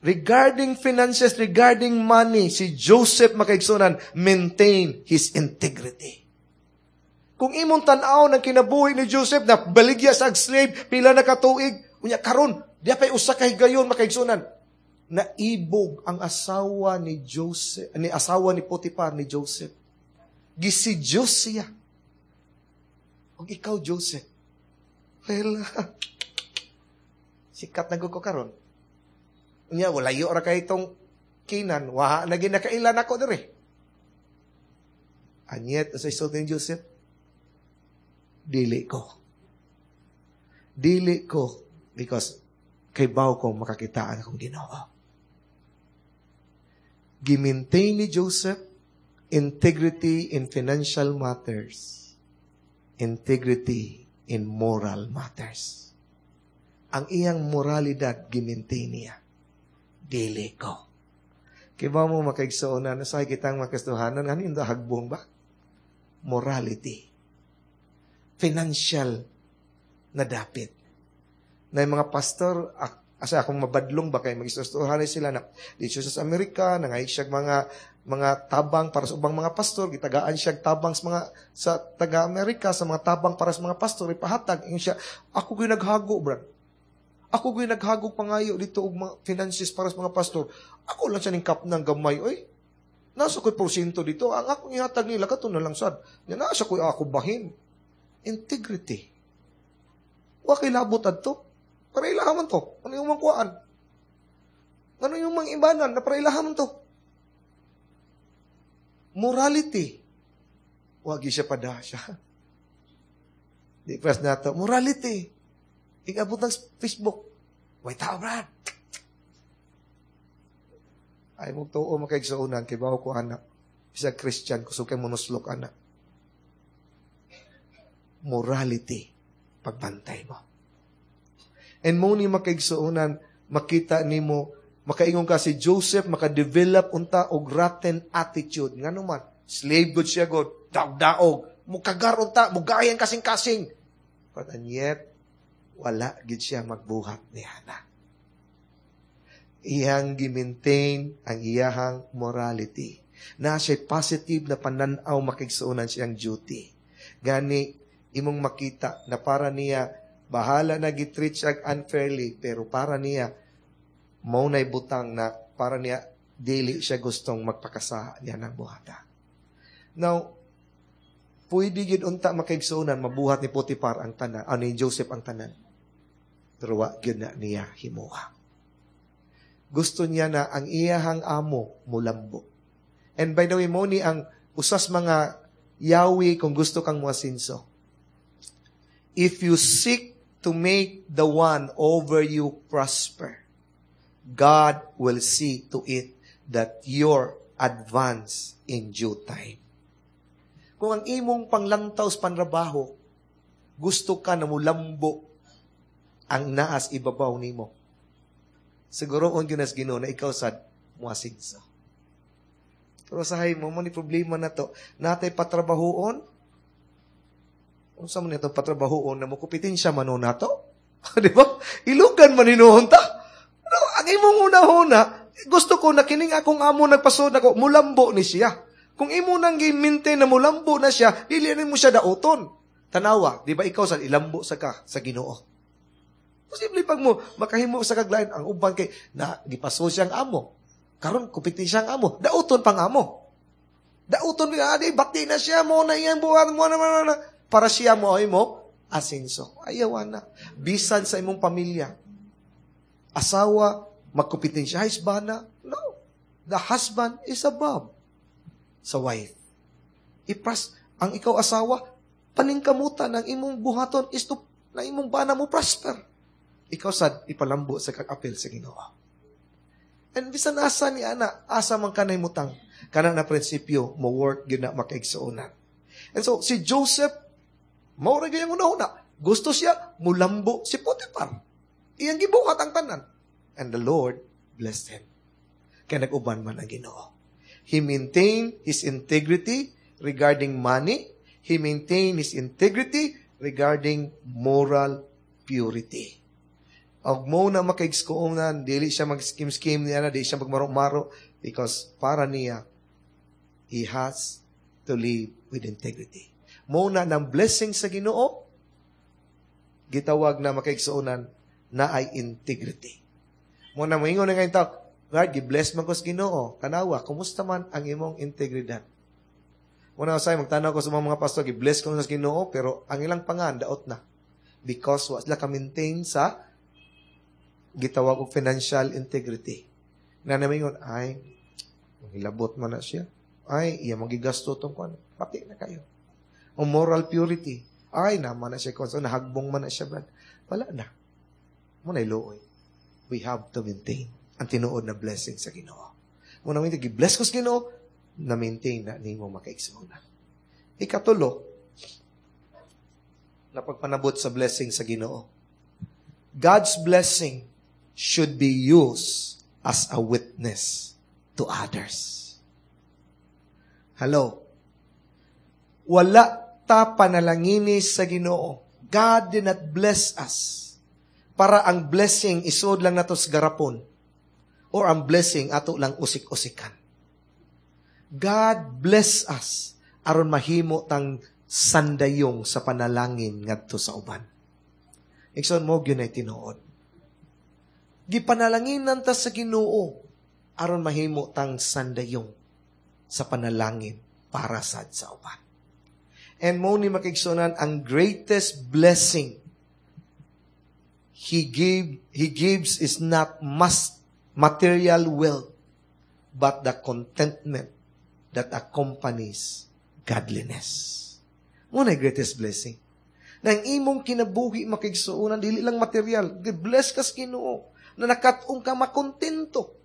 regarding finances, regarding money, si Joseph makaigsunan, maintain his integrity. Kung imong tan-aw ng kinabuhi ni Joseph na baligya sa slave, pila na katuig, unya karon, di pa'y usa ka higayon makaigsunan. Naibog ang asawa ni Joseph, ni asawa ni Potiphar ni Joseph. Gisidiyos siya. Og ikaw, Joseph. Well, sikat na ko karon. Unya, walayo ra kay itong Kinan. Wa na ginakailan ako diri. And yet, as I saw ni Joseph, dili ko. Dili ko because kay baw ko makakitaan akong Ginoo. Gimaintain ni Joseph integrity in financial matters, integrity in moral matters. Ang iyang moralidad gimaintain niya. Dili ko. Kay ba mo makaigsoon na sa kitang makastuhanan, ano yung hagbong ba? Morality. Financial na dapit. Na yung mga pastor, asa akong mabadlong ba kay magistuhan sila na dito sa Amerika, nangay siya mga mga tabang para sa ubang mga pastor, gitagaan siya tabang sa mga sa taga Amerika sa mga tabang para sa mga pastor ipahatag. Ingon siya, ako gyud naghago, brad. Ako gyud naghago pangayo dito og mga finances para sa mga pastor. Ako lang siya ning kap ng gamay, oy. Nasa ko'y porsyento dito. Ang akong ihatag nila, kato na lang sad. Nya nasa ko'y ako bahin. Integrity. Wa kay labot adto. Para ilaha man to. Ano yung mangkuhaan? Ano yung mga ibanan na para ilaha man to? Morality. Wag siya pada siya. Di press na to. Morality. Ikabot ng Facebook. Way tao, Brad. Ay mo tuo makaigsuonan kay bawo ko anak. Bisag Christian kusog kay monuslok anak. Morality. Pagbantay mo. And mo ni makaigsuonan, makita nimo, makaingon ka si Joseph, makadevelop unta og rotten attitude. Ngano man, slave good siya god, daog-daog, mukagar unta, mugayan kasing-kasing. But and yet, wala gid siya magbuhat ni ana. Iyang gimaintain ang iyahang morality. Na siya positive na pananaw makigsuonan siyang duty. Gani, imong makita na para niya, bahala na gitreat siya unfairly, pero para niya, mao na'y butang na para niya, dili siya gustong magpakasa niya ng buhata. Now, pwede gid unta makaigsuonan, mabuhat ni Potiphar ang tanan, ah, ni Joseph ang tanan. Pero wa gyud na niya himuha. Gusto niya na ang iyahang amo mulambo. And by the way, mo ni ang usas mga yawi kung gusto kang muasinso. If you seek to make the one over you prosper, God will see to it that you're advance in due time. Kung ang imong panglantaw sa panrabaho, gusto ka na mulambo ang naas ibabaw nimo. Siguro on ginas Ginoo na ikaw sad muasinso. Pero sahay mo mo ni problema na to, natay patrabahoon. Unsa man ito patrabahoon na mo kompetensya man nato? Di ba? Ilugan man hinuon ta. Pero ang imong una-una, gusto ko na kining akong amo nagpasod ako, mulambo ni siya. Kung imo nang gi-maintain na mulambo na siya, dili mo siya dauton. Tanawa, di ba ikaw sa ilambo sa ka sa Ginoo? Posible pag mo makahimo sa kaglain ang uban kay na gipaso siyang amo. Karon kupiti siyang amo, dauton pang amo. Dauton nga adi bati na siya mo na iyang buhat mo na, na, na, para siya mo ay mo asenso. Ayaw na. Bisan sa imong pamilya. Asawa magkupitin siya ay bana. No. The husband is above sa wife. Ipras ang ikaw asawa paningkamutan ang imong buhaton is to na imong bana mo prosper. Ikaw sad ipalambo sa kag-apel sa Ginoo. And bisan asa ni ana, asa man kanay mutang. Kana na prinsipyo mo work gyud na makaigsuonan. And so si Joseph mao ra gyud ang una-una. Gusto siya mulambo si Potiphar. Iyang gibuhat ang tanan. And the Lord blessed him. Kaya nag-uban man ang Ginoo. He maintained his integrity regarding money. He maintained his integrity regarding moral purity. Og mo na makaigsuonan, dili siya mag-scheme-scheme niya na, dili siya magmaro-maro, because para niya, he has to live with integrity. Mo na ng blessing sa Ginoo, gitawag na makaigsuonan na ay integrity. Mo na moingon na ngayon tao, Lord, gi-bless man ko sa Ginoo. Tanawa, kumusta man ang imong integridad? Mo na usay magtanaw ko sa mga, mga pastor, gi-bless ko sa Ginoo, pero ang ilang pangan daot na. Because wa sila ka-maintain sa gitawag og financial integrity. Na namingon, ay, hilabot man na siya. Ay, iya magigasto tong kuan. Pati na kayo. O moral purity. Ay, naman na siya kuan. So, nahagbong man na siya, Brad. Wala na. Mo na luoy. We have to maintain ang tinuod na blessing sa Ginoo. Mo na gi-bless ko sa Ginoo, na maintain na nimo makaigsuonan. Ikatulo, na pagpanabot sa blessing sa Ginoo. God's blessing should be used as a witness to others. Hello. Wala ta panalangini sa Ginoo. God did not bless us para ang blessing isod lang nato sa garapon or ang blessing ato lang usik-usikan. God bless us aron mahimo tang sandayong sa panalangin ngadto sa uban. Igsoon mo gyud ay tinuod. Gipanalanginan ta sa Ginoo aron mahimo tang sandayong sa panalangin para sad sa uban. And mo ni makigsunan ang greatest blessing he gave he gives is not must material wealth but the contentment that accompanies godliness. Mo na greatest blessing. Na ang imong kinabuhi makigsuonan dili lang material, gi-bless ka sa Ginoo na nakat-ong ka makontento.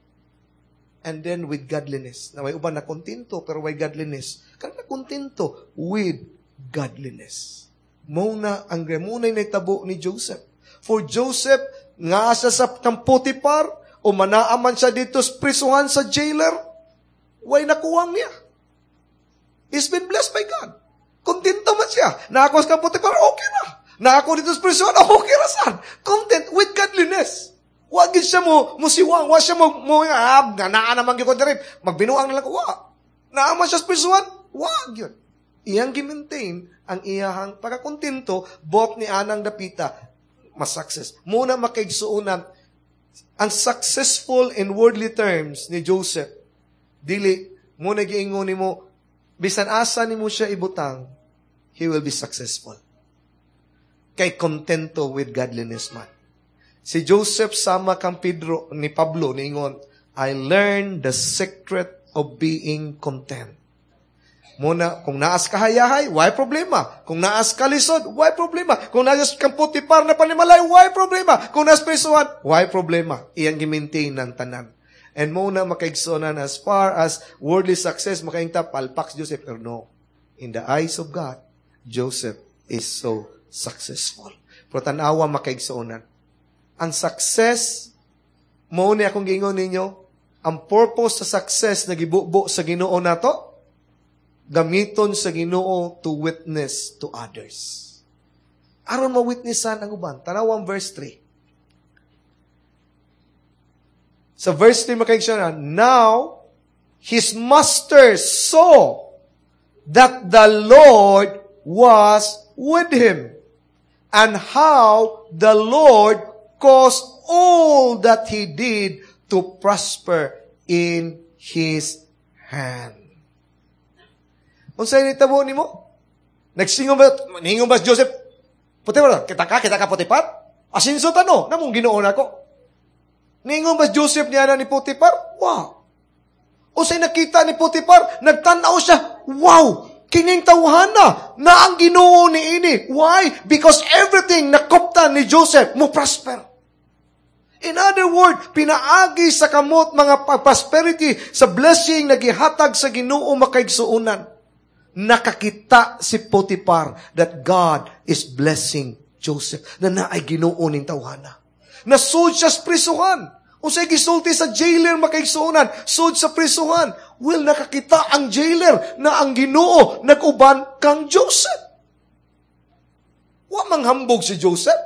And then with godliness. Na may uban na kontento pero way godliness. Kang nakontento with godliness. Mo na ang mo na nahitabo ni Joseph. For Joseph, nga sa sa kang Potiphar, o manaaman siya dito sa prisuhan sa jailer, way nakuwang niya. He's been blessed by God. Kontento man siya. Naako sa kang Potiphar, okay na. Naako dito sa prisuhan, okay ra sad. Content with godliness. Wa gid siya mo musiwang, wa siya mo mo ah, nga naa naman gyud ko diri, magbinuang na lang ko wa. Naa man siya sa prisuhan, wa gyud. Iyang gi-maintain ang iyahang pagkakontento bot ni anang dapita mas success. Muna makaigsuonan ang successful in worldly terms ni Joseph dili mo na giingon nimo bisan asa nimo siya ibutang he will be successful. Kay kontento with godliness man. Si Joseph sama kang Pedro ni Pablo niingon, I learned the secret of being content. Muna, kung naas ka hayahay, why problema? Kung naas ka lisod, why problema? Kung naas kang Potiphar na panimalay, why problema? Kung naas prisuhan, why problema? Iyang gi-maintain ng tanan. And muna makaigsunan as far as worldly success, makaingta, palpak si Joseph. Pero no, in the eyes of God, Joseph is so successful. Pero tanawa makaigsuonan. Ang success, mo ni akong giingon ninyo, ang purpose sa success na gibubo sa Ginoo nato, gamiton sa Ginoo to witness to others. Aron ma-witnessan ang uban. Tanawang verse three. Sa verse three makaigsuonan, now his master saw that the Lord was with him, and how the Lord caused all that he did to prosper in his hand. Unsay nitabo nimo? Nagsingon ba, ningon ba si Joseph? Potiphar, kita ka, kita ka Potiphar? Asinso tano, namong Ginoo nako. Ningon ba si Joseph niya na ni Potiphar? Wow. Unsay nakita ni Potiphar? Nagtanaw siya, wow! Kining tawhana na ang Ginoo ni ini. Why? Because everything nakoptan ni Joseph mo prosper. In other words, pinaagi sa kamot mga prosperity sa blessing na gihatag sa Ginoo makaigsuonan. Nakakita si Potiphar that God is blessing Joseph na naay Ginoo ning tawhana. Nasud siya sa prisuhan. Unsay gisulti sa jailer makaigsuonan, sud sa prisuhan. Well, nakakita ang jailer na ang Ginoo nag-uban kang Joseph. Wa manghambog si Joseph.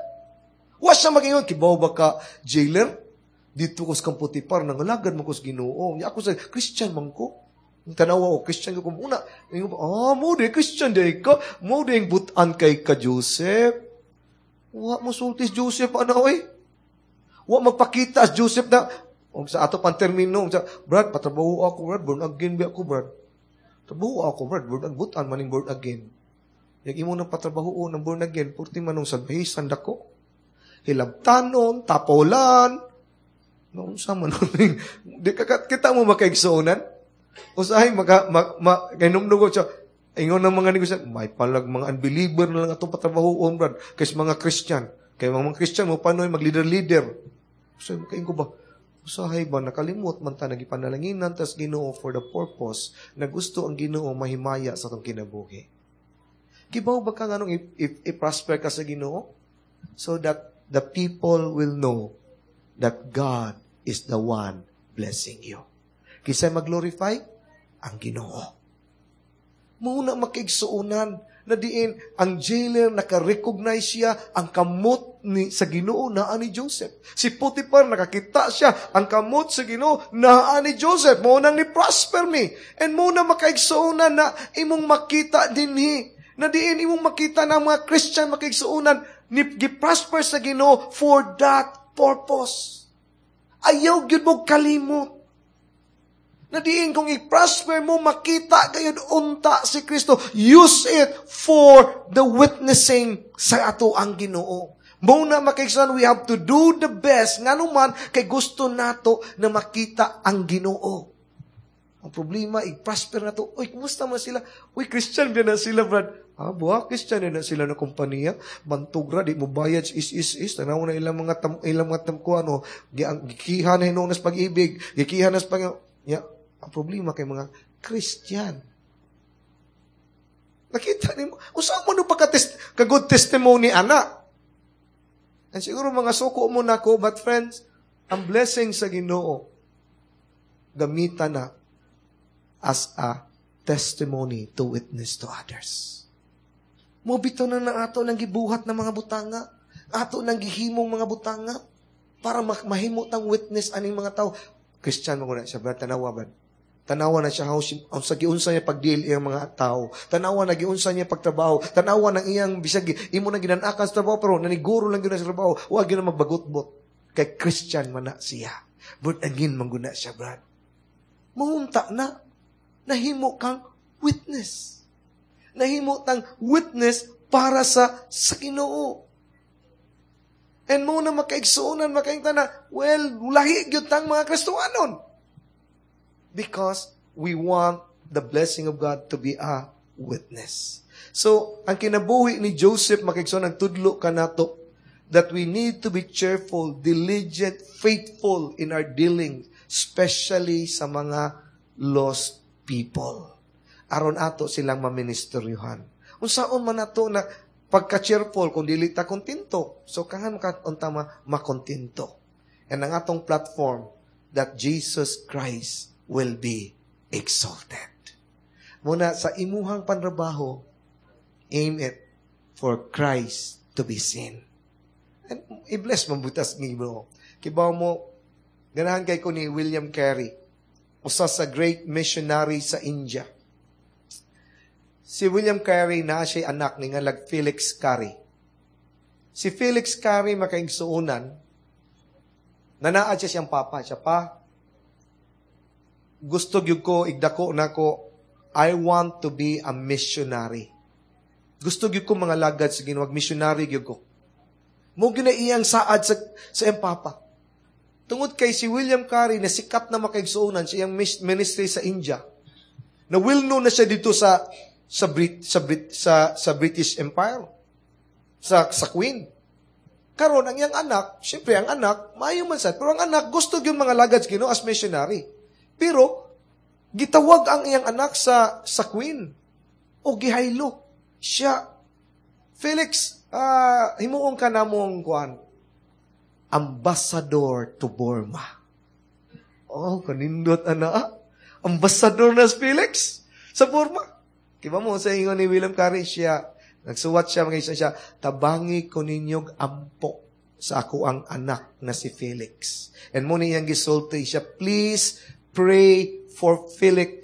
Wa siya mag-ingon, kibaw ba ka, jailer? Dito ko sa kang Potiphar, nangalagad mo ko sa Ginoo. Nya ako sa Christian man ko. Ang tanawa ko, Christian ko muna. Ingon pa, ah, mo di, Christian di ka. Mo di butan kay ka, Joseph. Wa mo sulti si Joseph, ano eh? Wa magpakita si Joseph na, og sa ato pang termino, sa, Brad, patrabaho ako, Brad, born again ba ako, Brad? Trabaho ako, Brad, born again, butan maning born again. Yang imo nang patrabaho ng born again, purti manong salbahisan dako. Hilabtanon, tapolan, noon sa man, di ka, kita mo makaigsuonan? Usahay maka ma, ma kay numdugo siya ingon ng mga negosyo, may palag mga unbeliever na lang atong patrabahoon, brad, kaysa mga Christian. Kay mga Christian mo panoy mag-leader-leader. So, makaingon ko ba, usahay ba, nakalimot man ta, nagipanalanginan tas Ginoo for the purpose na gusto ang Ginoo mahimaya sa atong kinabuhi. Kibaw ba ka nganong i-prosper ka sa Ginoo? So that the people will know that God is the one blessing you. Kinsa mag-glorify? Ang Ginoo. Muna makaigsuonan na diin ang jailer naka-recognize siya ang kamot ni sa Ginoo naa ni Joseph. Si Potiphar nakakita siya ang kamot sa Ginoo naa ni Joseph. Mao nang ni prosper mi. And mao na makaigsuonan na imong makita dinhi na diin imong makita na mga Christian makaigsuonan ni gi-prosper sa Ginoo for that purpose. Ayaw gyud mo kalimot. Na diin kung i-prosper mo, makita gayud unta si Kristo. Use it for the witnessing sa ato ang Ginoo. Mao na makaigsoon, we have to do the best. Ngano man, kay gusto nato na makita ang Ginoo. Ang problema, i-prosper nato. Uy, kumusta man sila? Uy, Christian din na sila, brad. Ah, buha, Christian din na sila na kompanya. Bantugra, di mo bayad, is, is, is. Tanaw na ilang mga tam, ilang mga tamkuan, oh. Gikiha na hinuon sa pag-ibig. Gikiha na sa pag Ya, ang problema kay mga Christian. Nakita nimo, usa mo no pa ka, ka good testimony ana. And siguro mga suko mo nako, but friends, ang blessing sa Ginoo gamita na as a testimony to witness to others. Mo bitaw na na ato nang gibuhat ng mga butanga, ato nang gihimong mga butanga para mahimo tang witness aning mga tao. Christian mo na siya, brad, tanawa ba? Tanawa na siya how si, ang sa giunsa niya pagdeal iyang mga tao. Tanawa na giunsa niya pagtrabaho. Tanawa ng iyang bisag imo na ginanakan sa trabaho pero naniguro lang gyud sa trabaho. Wa gyud na magbagot-bot. Kay Christian man na siya. But again man guna siya, brad. Mahunta na. Nahimo kang witness. Nahimo tang witness para sa sa Ginoo. And mo na makaigsuonan, makaingta na, well, lahi gyud tang mga Kristohanon. Because we want the blessing of God to be a witness. So, ang kinabuhi ni Joseph makaigsoon ang tudlo kanato that we need to be cheerful, diligent, faithful in our dealings, especially sa mga lost people. Aron ato silang maministeryuhan. Unsaon man ato na pagka-cheerful kung dili ta kontento. So kangan ka unta ma makontento. And ang atong platform that Jesus Christ will be exalted. Muna sa imuhang panrabaho, aim it for Christ to be seen. And i-bless mo butas ni mo. Kibaw mo, ganahan kay ko ni William Carey, usa sa great missionary sa India. Si William Carey na siya anak ni ngalag Felix Carey. Si Felix Carey makaigsuonan, nanaad siya siyang papa. Siya pa, gusto gyud ko, igdako na ko, I want to be a missionary. Gusto gyud ko mga lagad sa Ginoo, missionary gyud ko. Mo gyud na iyang saad sa, sa iyang papa. Tungod kay si William Carey na sikat na makaigsuonan sa iyang ministry sa India, na well known na siya dito sa sa Brit, sa Brit, sa sa British Empire, sa sa Queen. Karon ang iyang anak, syempre ang anak, maayo man sad, pero ang anak gusto gyud mga lagad Ginoo as missionary. Pero gitawag ang iyang anak sa sa Queen o gihaylo siya. Felix, uh, himuon ka namong kuan, ambassador to Burma. Oh, kanindot ana. Ambassador na si Felix sa Burma. Kiba mo sa ingon ni William Carey siya, nagsuwat siya, mga isa siya, tabangi ko ninyog ampo sa ako ang anak na si Felix. And mo niyang gisulti siya, please pray for Felix.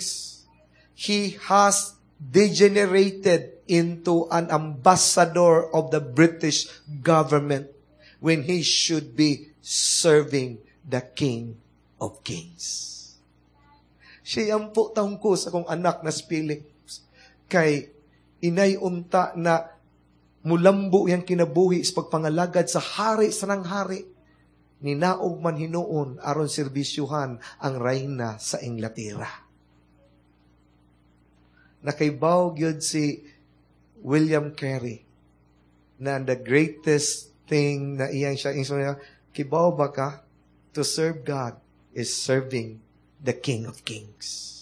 He has degenerated into an ambassador of the British government when he should be serving the King of Kings. Siya ampo taong ko sa akong anak na si Felix. Kay inay unta na mulambo yang kinabuhi sa pagpangalagad sa hari sa nang hari. Ninaog man hinuon aron serbisyuhan ang reyna sa Inglaterra. Nakaibaw gyud si William Carey na the greatest thing na iyang siya, niya, kibaw ba ka? To serve God is serving the King of Kings.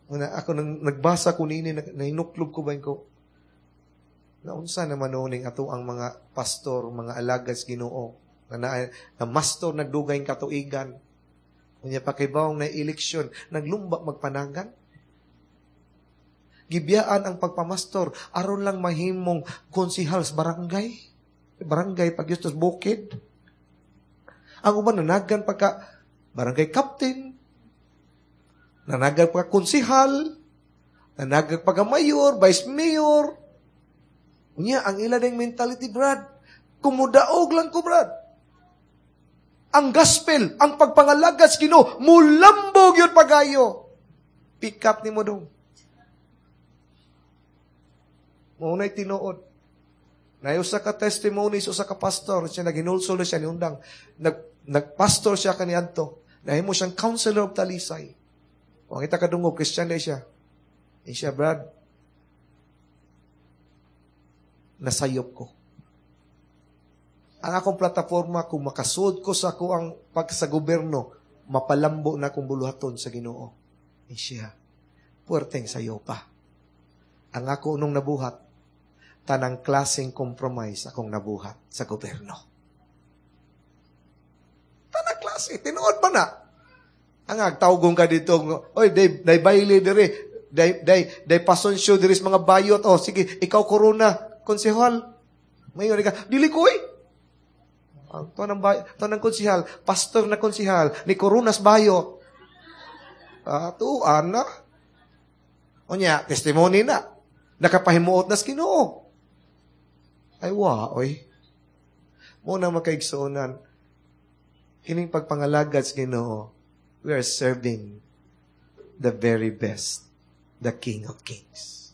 Una, ako nang nagbasa ko nini, nahinuklob ko ba ko, naunsa naman noon ato ang mga pastor, mga alagad sa Ginoo, na, na, na mastor nagdugay katuigan. Unya pakibawong na eleksyon, naglumba magpanagan. Gibiyaan ang pagpamastor, aron lang mahimong konsihal sa barangay. Barangay pag yustos bukid. Ang uban nanagan pagka barangay captain, nanagan pagka konsihal, nanagan pagka mayor, vice mayor. Unya, ang ila ding mentality, Brad. Kumudaog lang ko, Brad. Ang gospel, ang pagpangalagad sa Ginoo, mulambog yun pagayo. Pick up ni mo dong. Maunay tinuod. Na usa ka testimony sa usa ka pastor, siya naginulsol siya ni undang. Nag nagpastor siya kaniadto. Nahimo siyang counselor of Talisay. Kung kita kadungog, Christian na siya. Eh siya, Brad, nasayop ko. Ang akong plataforma, kung makasud ko sa ako ang pag sa gobyerno, mapalambo na akong buluhaton sa Ginoo. Eh siya, puwerteng sayo pa. Ang ako nung nabuhat, tanang klaseng compromise akong nabuhat sa gobyerno. Tanang klase, tinuod pa na. Ang agtawgong ka dito, oy, day, day baile dire, day, day, day pasonsyo diri sa mga bayot, oh, sige, ikaw corona, konsehal. Mayon ka, dili ko eh. Ang to ng bay, to ng konsehal, pastor na konsehal, ni Coronas bayot. Ah, tuan na. Unya, testimony na. Nakapahimuot na sa Ginoo. Ay, wa, oy. Muna makaigsuonan, kining pagpangalagad sa Ginoo, we are serving the very best, the King of Kings.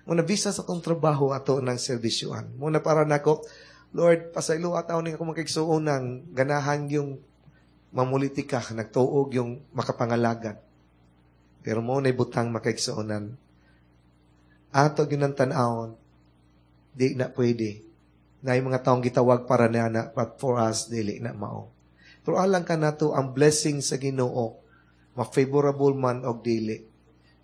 Muna bisa sa atong trabaho ato ng serbisyuan. Muna para nako, Lord, pasaylo ataw ning ako makigsuonan, ganahan yung mamulitika, nagtuog yung makapangalagad. Pero mo na butang makaigsuonan. Ato gyud ang tan-awon, di na pwede. Na yung mga taong gitawag para na na, but for us, dili na mao. Pero alang ka nato ang blessing sa Ginoo, ma-favorable man og dili,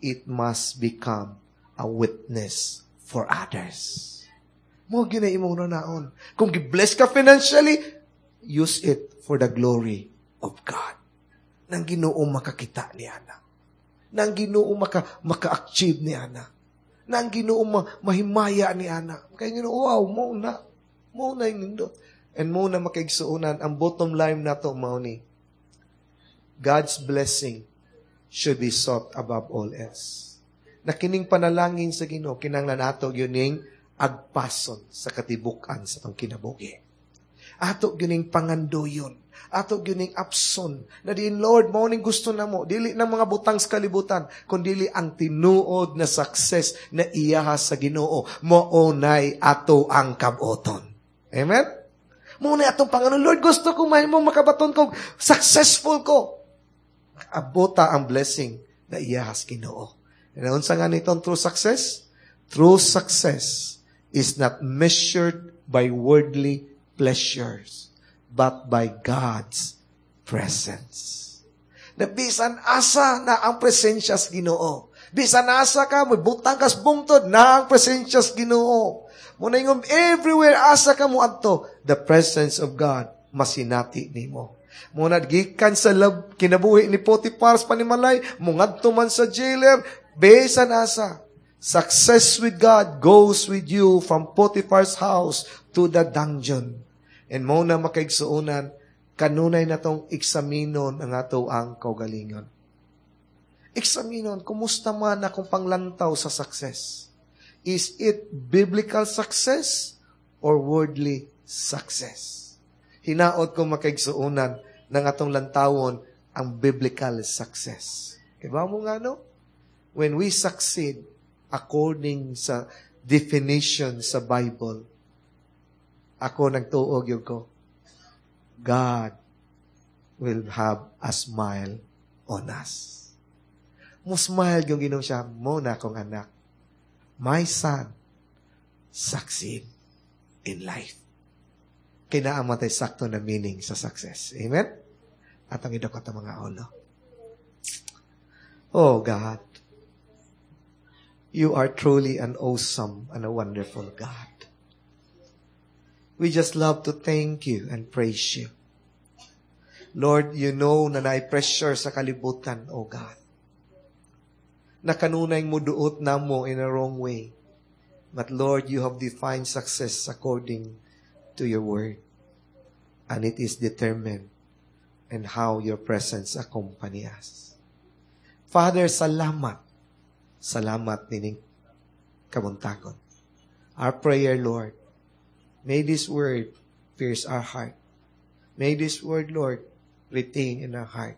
it must become a witness for others. Mo gyud na imong naon. Kung gi-bless ka financially, use it for the glory of God. Nang Ginoo makakita ni ana. Nang Ginoo maka maka-achieve ni ana. Nang Ginoo ma, mahimaya ni ana. Kay Ginoo, wow, mo na. Mo na yung nindot. And mo na makaigsuonan, ang bottom line nato mao ni, God's blessing should be sought above all else. Na kining panalangin sa Ginoo, kinahanglan ato gyud ning agpason sa katibukan sa atong kinabuhi. Ato gyud ning pangandoyon. Ato gyud ning apson. Na diin, Lord, mao ning gusto namo. Dili ng mga butang sa kalibutan, kundili ang tinuod na success na iyaha sa Ginoo. Mao nay ato ang kaboton. Amen? Mao na atong Panginoon, Lord, gusto ko mahimong makabaton ko, successful ko. Abota ang blessing na iyahas Ginoo. Unsa nga nitong true success? True success is not measured by worldly pleasures, but by God's presence. Na bisan asa na ang presensya sa Ginoo. Bisan asa ka, may butang kas bungtod na ang presensya sa Ginoo. Muna ingom, everywhere asa ka mo adto, the presence of God masinati nimo. Muna gikan sa love, kinabuhi ni Potiphar sa panimalay, mungadto man sa jailer, bisan asa. Success with God goes with you from Potiphar's house to the dungeon. And mo na makaigsuonan, kanunay na tong eksaminon ang ato ang kaugalingon. Eksaminon, kumusta man akong panglantaw sa success? Is it biblical success or worldly success? Hinaot ko makaigsuonan ng atong lantawon ang biblical success. Diba mo nga no? When we succeed according sa definition sa Bible, ako nagtuog yun ko, God will have a smile on us. Mo smile yung Ginoo siya, mao na akong anak. My son, succeed in life. Kay naa man tay sakto na meaning sa success. Amen? Atong idukot ang mga ulo. Oh God, you are truly an awesome and a wonderful God. We just love to thank you and praise you. Lord, you know na naay pressure sa kalibutan, oh God. Na kanunay muduot namo in a wrong way. But Lord, you have defined success according to your word. And it is determined in how your presence accompany us. Father, salamat. Salamat nining kabuntagon. Our prayer, Lord, may this word pierce our heart. May this word, Lord, retain in our heart,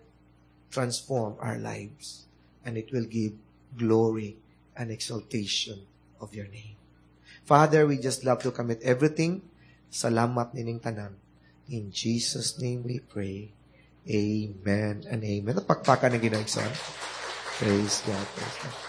transform our lives, and it will give glory and exaltation of your name. Father, we just love to commit everything. Salamat nining tanan. In Jesus' name we pray. Amen and amen. Pakpakan ang Ginoo. Praise God. Praise God.